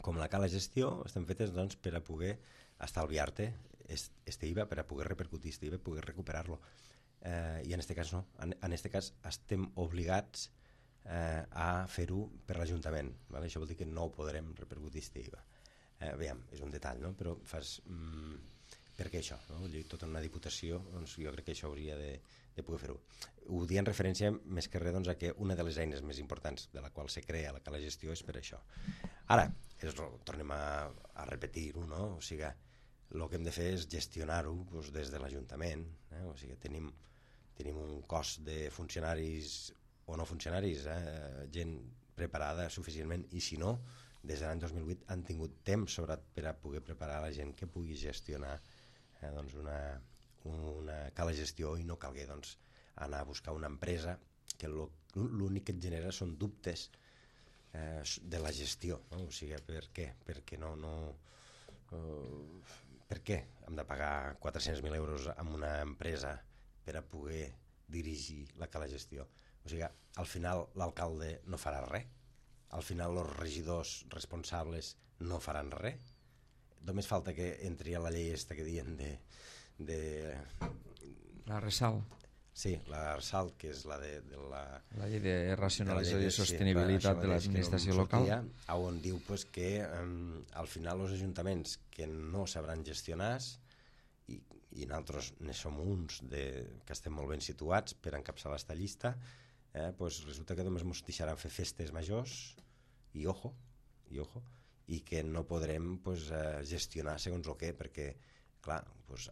com la Cala Gestió estan fetes doncs, per a poder estalviar-te este IVA, per a poder repercutir este IVA, poder recuperar-lo. I en aquest cas no, en aquest cas estem obligats a fer-ho per l'Ajuntament, ¿vale? Això vol dir que no ho podrem repercutir este IVA. Veiem, és un detall, no? Però fas... per què això? No? Tota una diputació, doncs jo crec que això hauria de poder fer-ho. Ho dic en referència més que res doncs, a que una de les eines més importants de la qual se crea la Cala Gestió és per això. Ara, tornem a repetir-ho, no? O sigui, el que hem de fer és gestionar-ho doncs, des de l'Ajuntament. O sigui, tenim un cos de funcionaris o no funcionaris, gent preparada suficientment, i si no, des de l'any 2008 han tingut temps per a poder preparar la gent que pugui gestionar doncs una Cala Gestió i no calgui doncs, anar a buscar una empresa que l'únic que et genera són dubtes de la gestió, no? O sigui, per què? Perquè per què hem de pagar 400.000 euros a una empresa per a poder dirigir la Cala Gestió? O sigui, al final l'alcalde no farà res, al final els regidors responsables no faran res, només falta que entri a la llei esta que diuen de...
La RESAL.
Sí, la RESAL, que és la
la llei de racionalització i sostenibilitat de l'administració local,
on diu que al final els ajuntaments que no sabran gestionar i i nosaltres ne som uns que estem molt ben situats per encapçalar aquesta llista, pues resulta que només ens deixaran fer festes majors i ojo, i que no podrem pues, gestionar segons el què, perquè clar, pues,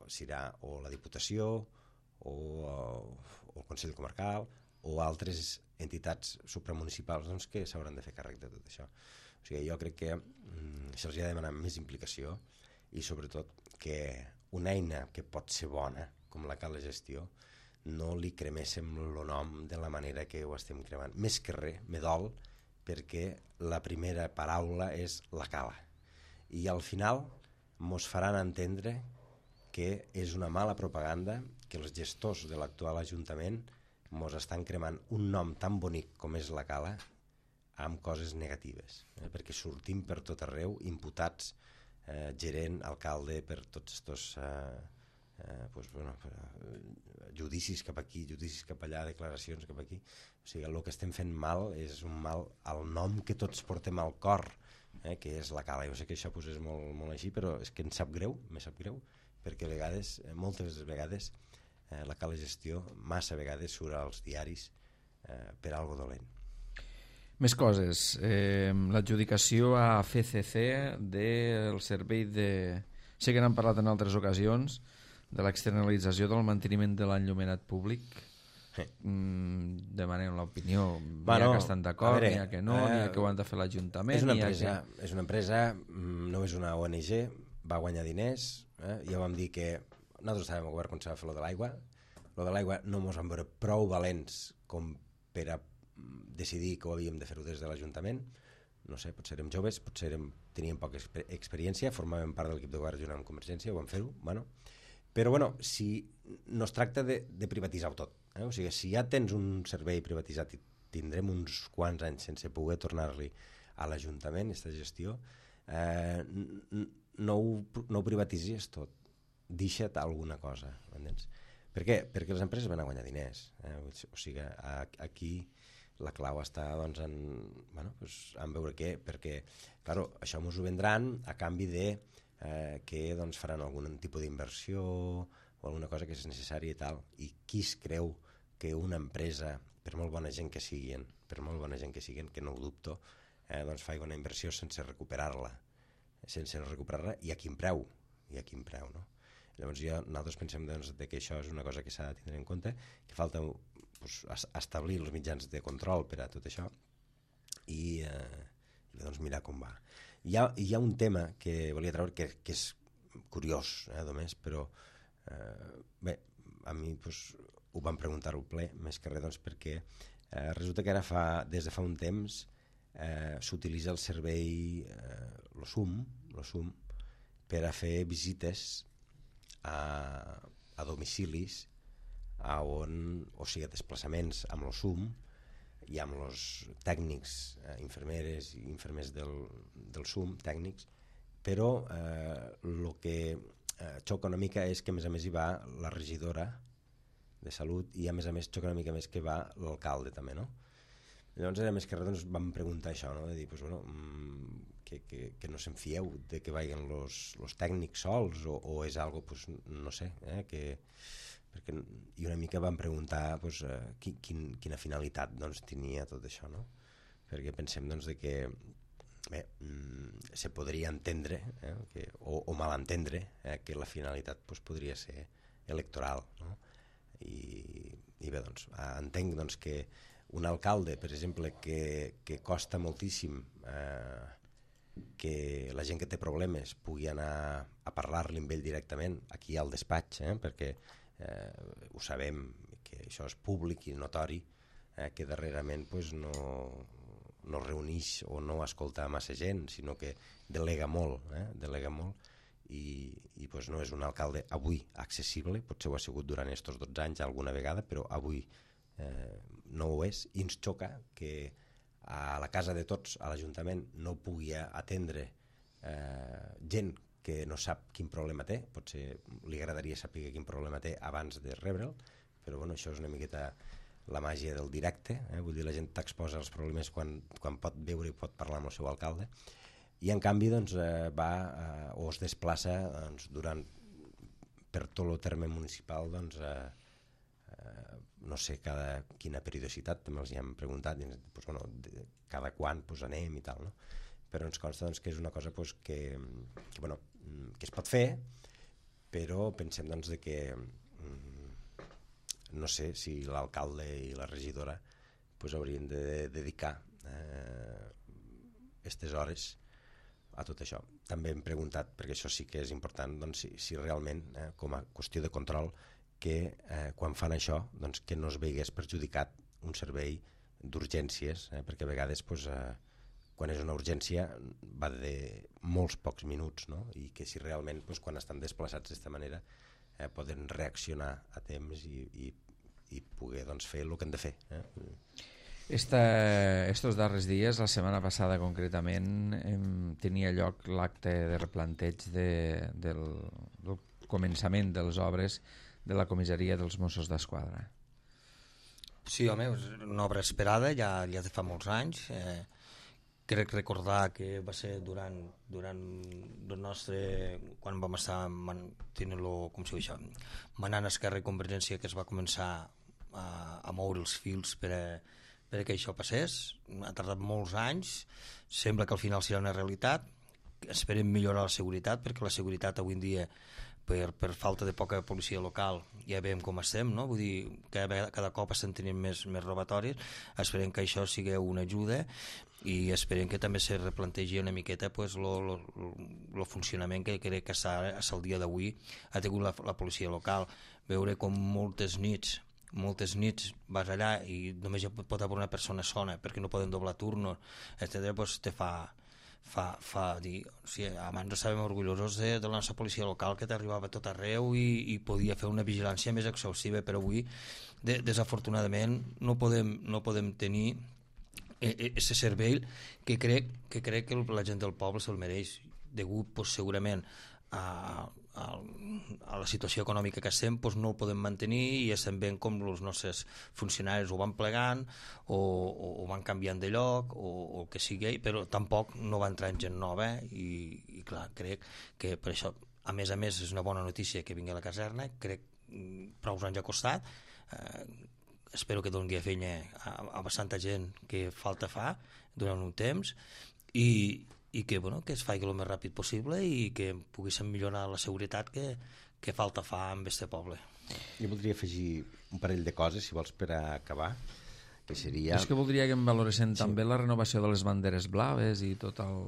serà o la Diputació o el Consell Comarcal o altres entitats supramunicipals doncs, que s'hauran de fer càrrec de tot això. O sigui, jo crec que se'ls ha de demanar més implicació i sobretot que una eina que pot ser bona, com la cala gestió, no li creméssim el nom de la manera que ho estem cremant. Més que res, me dol, perquè la primera paraula és la cala. I al final mos faran entendre que és una mala propaganda, que els gestors de l'actual Ajuntament mos estan cremant un nom tan bonic com és la cala amb coses negatives, perquè sortim per tot arreu, imputats, gerent, alcalde, per tots estos judicis cap aquí, judicis cap allà, declaracions cap aquí. O sigui, el que estem fent mal és un mal al nom que tots portem al cor, que és la cala. Jo sé que això és molt, molt així, però és que em sap greu, perquè a vegades, moltes vegades, la cala gestió massa vegades surt als diaris per algo dolent.
Més coses. L'adjudicació a FCC del servei de... Sé que n'han parlat en altres ocasions, de l'externalització del manteniment de l'enllumenat públic. Demanem l'opinió. N'hi ha que estan d'acord, n'hi ha que no, n'hi ha que ho han de fer l'Ajuntament.
És una empresa, no és una ONG, va guanyar diners. Ja vam dir que nosaltres estàvem al govern quan s'ha de fer lo de l'aigua. Lo de l'aigua no ens vam veure prou valents com per a decidir que ho havíem de fer-ho des de l'Ajuntament. No sé, potser érem joves, potser teníem poca experiència, formàvem part de l'equip de govern junt amb Convergència, ho vam fer-ho, però si no es tracta de privatizar-ho tot, o sigui, si ja tens un servei privatitzat i tindrem uns quants anys sense poder tornar-li a l'Ajuntament, aquesta gestió, no ho privatitzis tot, deixa't alguna cosa, entens? Per què? Perquè les empreses van a guanyar diners, o sigui, aquí la clau està doncs, en veure què, perquè claro, això ens ho vendran a canvi de que doncs, faran algun tipus d'inversió o alguna cosa que és necessària i tal, i qui es creu que una empresa, per molt bona gent que siguin, que no ho dubto, doncs faci una inversió sense recuperar-la i a quin preu, no? Llavors nosaltres pensem doncs, que això és una cosa que s'ha de tindre en compte, que falta establir els mitjans de control per a tot això i doncs mirar com va. Hi ha un tema que volia treure que és curiós, només, però bé, a mi ho van preguntar al ple, més que res doncs, perquè resulta que ara des de fa un temps s'utilitza el servei lo SUM per a fer visites a domicilis o sigui, desplaçaments amb el SUM i amb els tècnics, infermeres i infermers del SUM, tècnics, però el que xoca una mica és que a més hi va la regidora de Salut i a més xoca una mica més que va l'alcalde també, no? Llavors era més que res, doncs vam preguntar això, no? De dir, que no se'n fieu de que vagin els tècnics sols o és algo, no sé, i una mica vam preguntar quina finalitat doncs, tenia tot això, no? Perquè pensem doncs, que se podria entendre o malentendre que la finalitat podria ser electoral, no? I bé, doncs, entenc doncs, que un alcalde, per exemple, que costa moltíssim que la gent que té problemes pugui anar a parlar-li amb ell directament aquí al despatx, perquè ho sabem que això és públic i notori, que darrerament no reuneix o no escolta massa gent, sinó que delega molt i no és un alcalde avui accessible, potser ho ha sigut durant aquests 12 anys alguna vegada, però avui no ho és, i ens xoca que a la casa de tots, a l'Ajuntament, no pugui atendre gent que no sap quin problema té, potser li agradaria saber quin problema té abans de rebre'l, però això és una miqueta la màgia del directe, vull dir, la gent t'exposa els problemes quan pot veure i pot parlar amb el seu alcalde, i en canvi va o es desplaça durant tot el terme municipal, doncs, no sé quina periodicitat, també els hi hem preguntat, doncs, bueno, cada quan pues, anem i tal, no? Però ens consta doncs, que és una cosa pues, que es pot fer, però pensem doncs, de que no sé si l'alcalde i la regidora pues, haurien de dedicar aquestes hores a tot això. També hem preguntat, perquè això sí que és important, doncs, si realment, com a qüestió de control, que quan fan això, doncs, que no es veigués perjudicat un servei d'urgències, perquè a vegades doncs, quan és una urgència va de molts pocs minuts, no? I que si realment doncs, quan estan desplaçats d'esta manera poden reaccionar a temps i poder doncs, fer el que han de fer.
Estos darrers dies, la setmana passada concretament, tenia lloc l'acte de replanteig del començament de les obres de la comissaria dels Mossos d'Esquadra.
Sí, home, és una obra esperada ja de fa molts anys. Crec recordar que va ser durant el nostre, quan vam estar manant Esquerra i Convergència, que es va començar a moure els fils perquè això passés. Ha tardat molts anys, sembla que al final serà una realitat. Esperem millorar la seguretat, perquè la seguretat avui en dia per falta de poca policia local ja veiem com estem, no? Vull dir, cada cop estem tenint més robatoris. Esperem que això sigui una ajuda i esperem que també se replantegi una miqueta pues, el funcionament que crec que el dia d'avui ha tingut la policia local. Veure com moltes nits vas allà i només hi pot haver una persona sola perquè no poden doblar turnos, etc. Pues te fa dir, o sigui, abans estàvem orgullosos de la nostra policia local, que t'arribava a tot arreu i podia fer una vigilància més exhaustiva, però avui desafortunadament no podem tenir aquest servei que crec que la gent del poble se'l mereix, degut pues, segurament a la situació econòmica que estem, doncs no el podem mantenir i estem veient com els nostres funcionaris ho van plegant o van canviant de lloc o el que sigui, però tampoc no va entrar en gent nova i clar, crec que per això a més és una bona notícia que vingui a la caserna, crec prou anys ha costat, espero que doni feina a bastanta gent que falta fa durant un temps i que es faci el més ràpid possible i que poguéssim millorar la seguretat que falta fa en este poble.
Jo voldria afegir un parell de coses, si vols, per a acabar, que seria...
És que voldria que em valoressin també la renovació de les banderes blaves i tot el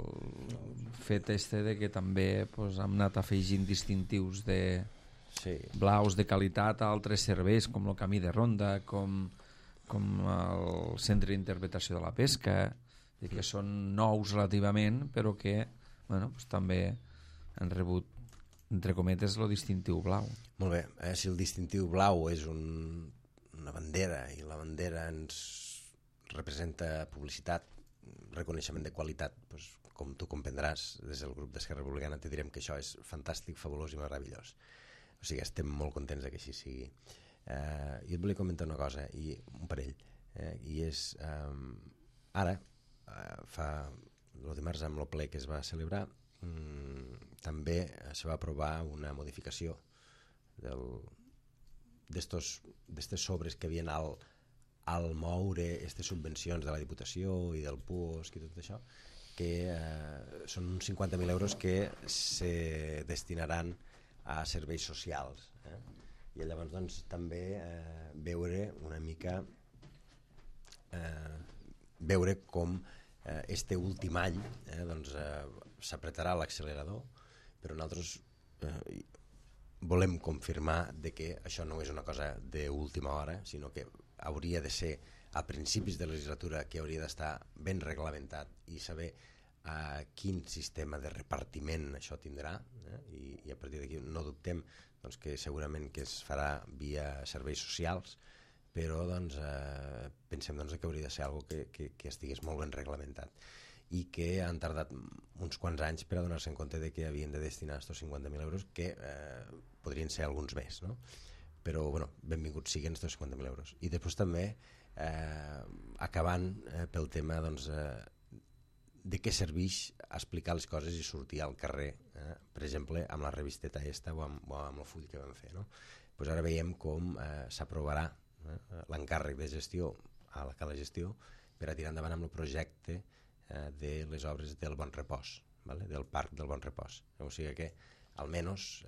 fet de que també hem anat afegint distintius blaus de qualitat a altres serveis, com el camí de ronda, com el centre d'interpretació de la pesca, que són nous relativament, però que també han rebut, entre cometes, el distintiu blau.
Molt bé, si el distintiu blau és una bandera i la bandera ens representa publicitat, reconeixement de qualitat, doncs, com tu comprendràs, des del grup d'Esquerra Republicana te direm que això és fantàstic, fabulós i meravellós. O sigui, estem molt contents que així sigui. Jo et volia comentar una cosa, un parell, i és ara, el dimarts amb el ple que es va celebrar, també se va aprovar una modificació d'estos sobres que havien al moure aquestes subvencions de la Diputació i del PUOSC i tot això, que són uns 50.000 euros que se destinaran a serveis socials. I llavors doncs, també veure una mica veure com este últim any s'apretarà l'accelerador, però nosaltres volem confirmar de que això no és una cosa d'última hora, sinó que hauria de ser a principis de legislatura, que hauria d'estar ben reglamentat i saber quin sistema de repartiment això tindrà, i a partir d'aquí no dubtem doncs, que segurament que es farà via serveis socials, però doncs, pensem doncs, que hauria de ser algo que estigués molt ben reglamentat i que han tardat uns quants anys per a donar-se en compte de que havien de destinar aquests 50.000 euros, que podrien ser alguns més, no? Però bueno, benvinguts siguen aquests 50.000 euros. I després també acabant pel tema doncs, de què serveix explicar les coses i sortir al carrer, per exemple, amb la revisteta o amb el full que vam fer. No? Pues ara veiem com s'aprovarà l'encàrrec de gestió a la Cala Gestió per a tirar endavant amb el projecte de les obres del Bon Repòs, vale? Del Parc del Bon Repòs. O sigui que, almenys,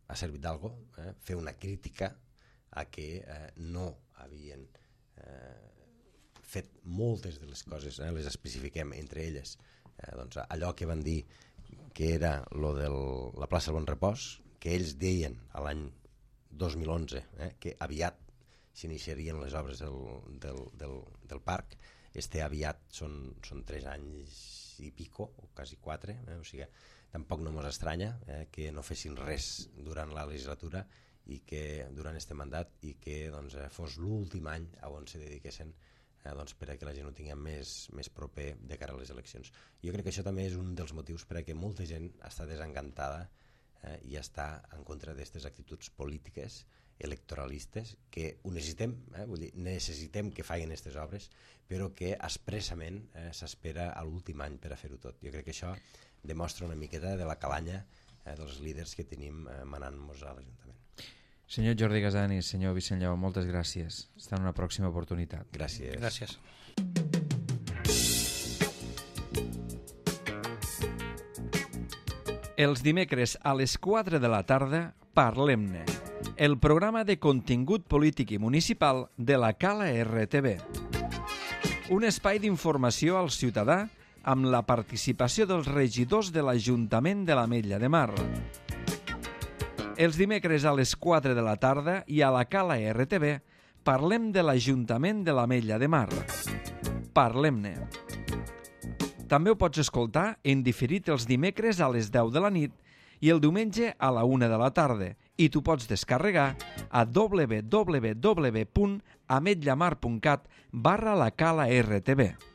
ha servit d'algo fer una crítica a que no havien fet moltes de les coses, les especifiquem entre elles, doncs allò que van dir que era lo de la plaça del Bon Repòs, que ells deien a l'any 2011 que aviat s'iniciarien les obres del parc. Aviat són 3 anys i pico, o quasi 4, o sigui, tampoc no mos estranya que no fessin res durant la legislatura i que durant este mandat i que doncs, fos l'últim any on se dediquessin per a que la gent ho tingui més proper de cara a les eleccions. Jo crec que això també és un dels motius per a que molta gent està desencantada i està en contra d'aquestes actituds polítiques electoralistes que ho necessitem, vull dir, necessitem que facin aquestes obres, però que expressament s'espera a l'últim any per a fer-ho tot. Jo crec que això demostra una miqueta de la calanya dels líders que tenim manant-nos a l'Ajuntament.
Senyor Jordi Gassani, senyor Vicent Lleó, moltes gràcies. Fins en una pròxima oportunitat.
Gràcies.
Gràcies.
Els dimecres a les 4 de la tarda, Parlem-ne, el programa de contingut polític i municipal de la Cala RTV. Un espai d'informació al ciutadà amb la participació dels regidors de l'Ajuntament de l'Ametlla de Mar. Els dimecres a les 4 de la tarda i a la Cala RTV parlem de l'Ajuntament de l'Ametlla de Mar. Parlem-ne. També ho pots escoltar en diferit els dimecres a les 10 de la nit i el diumenge a la 1 de la tarda i tu pots descarregar a www.ametllamar.cat/la Cala RTV.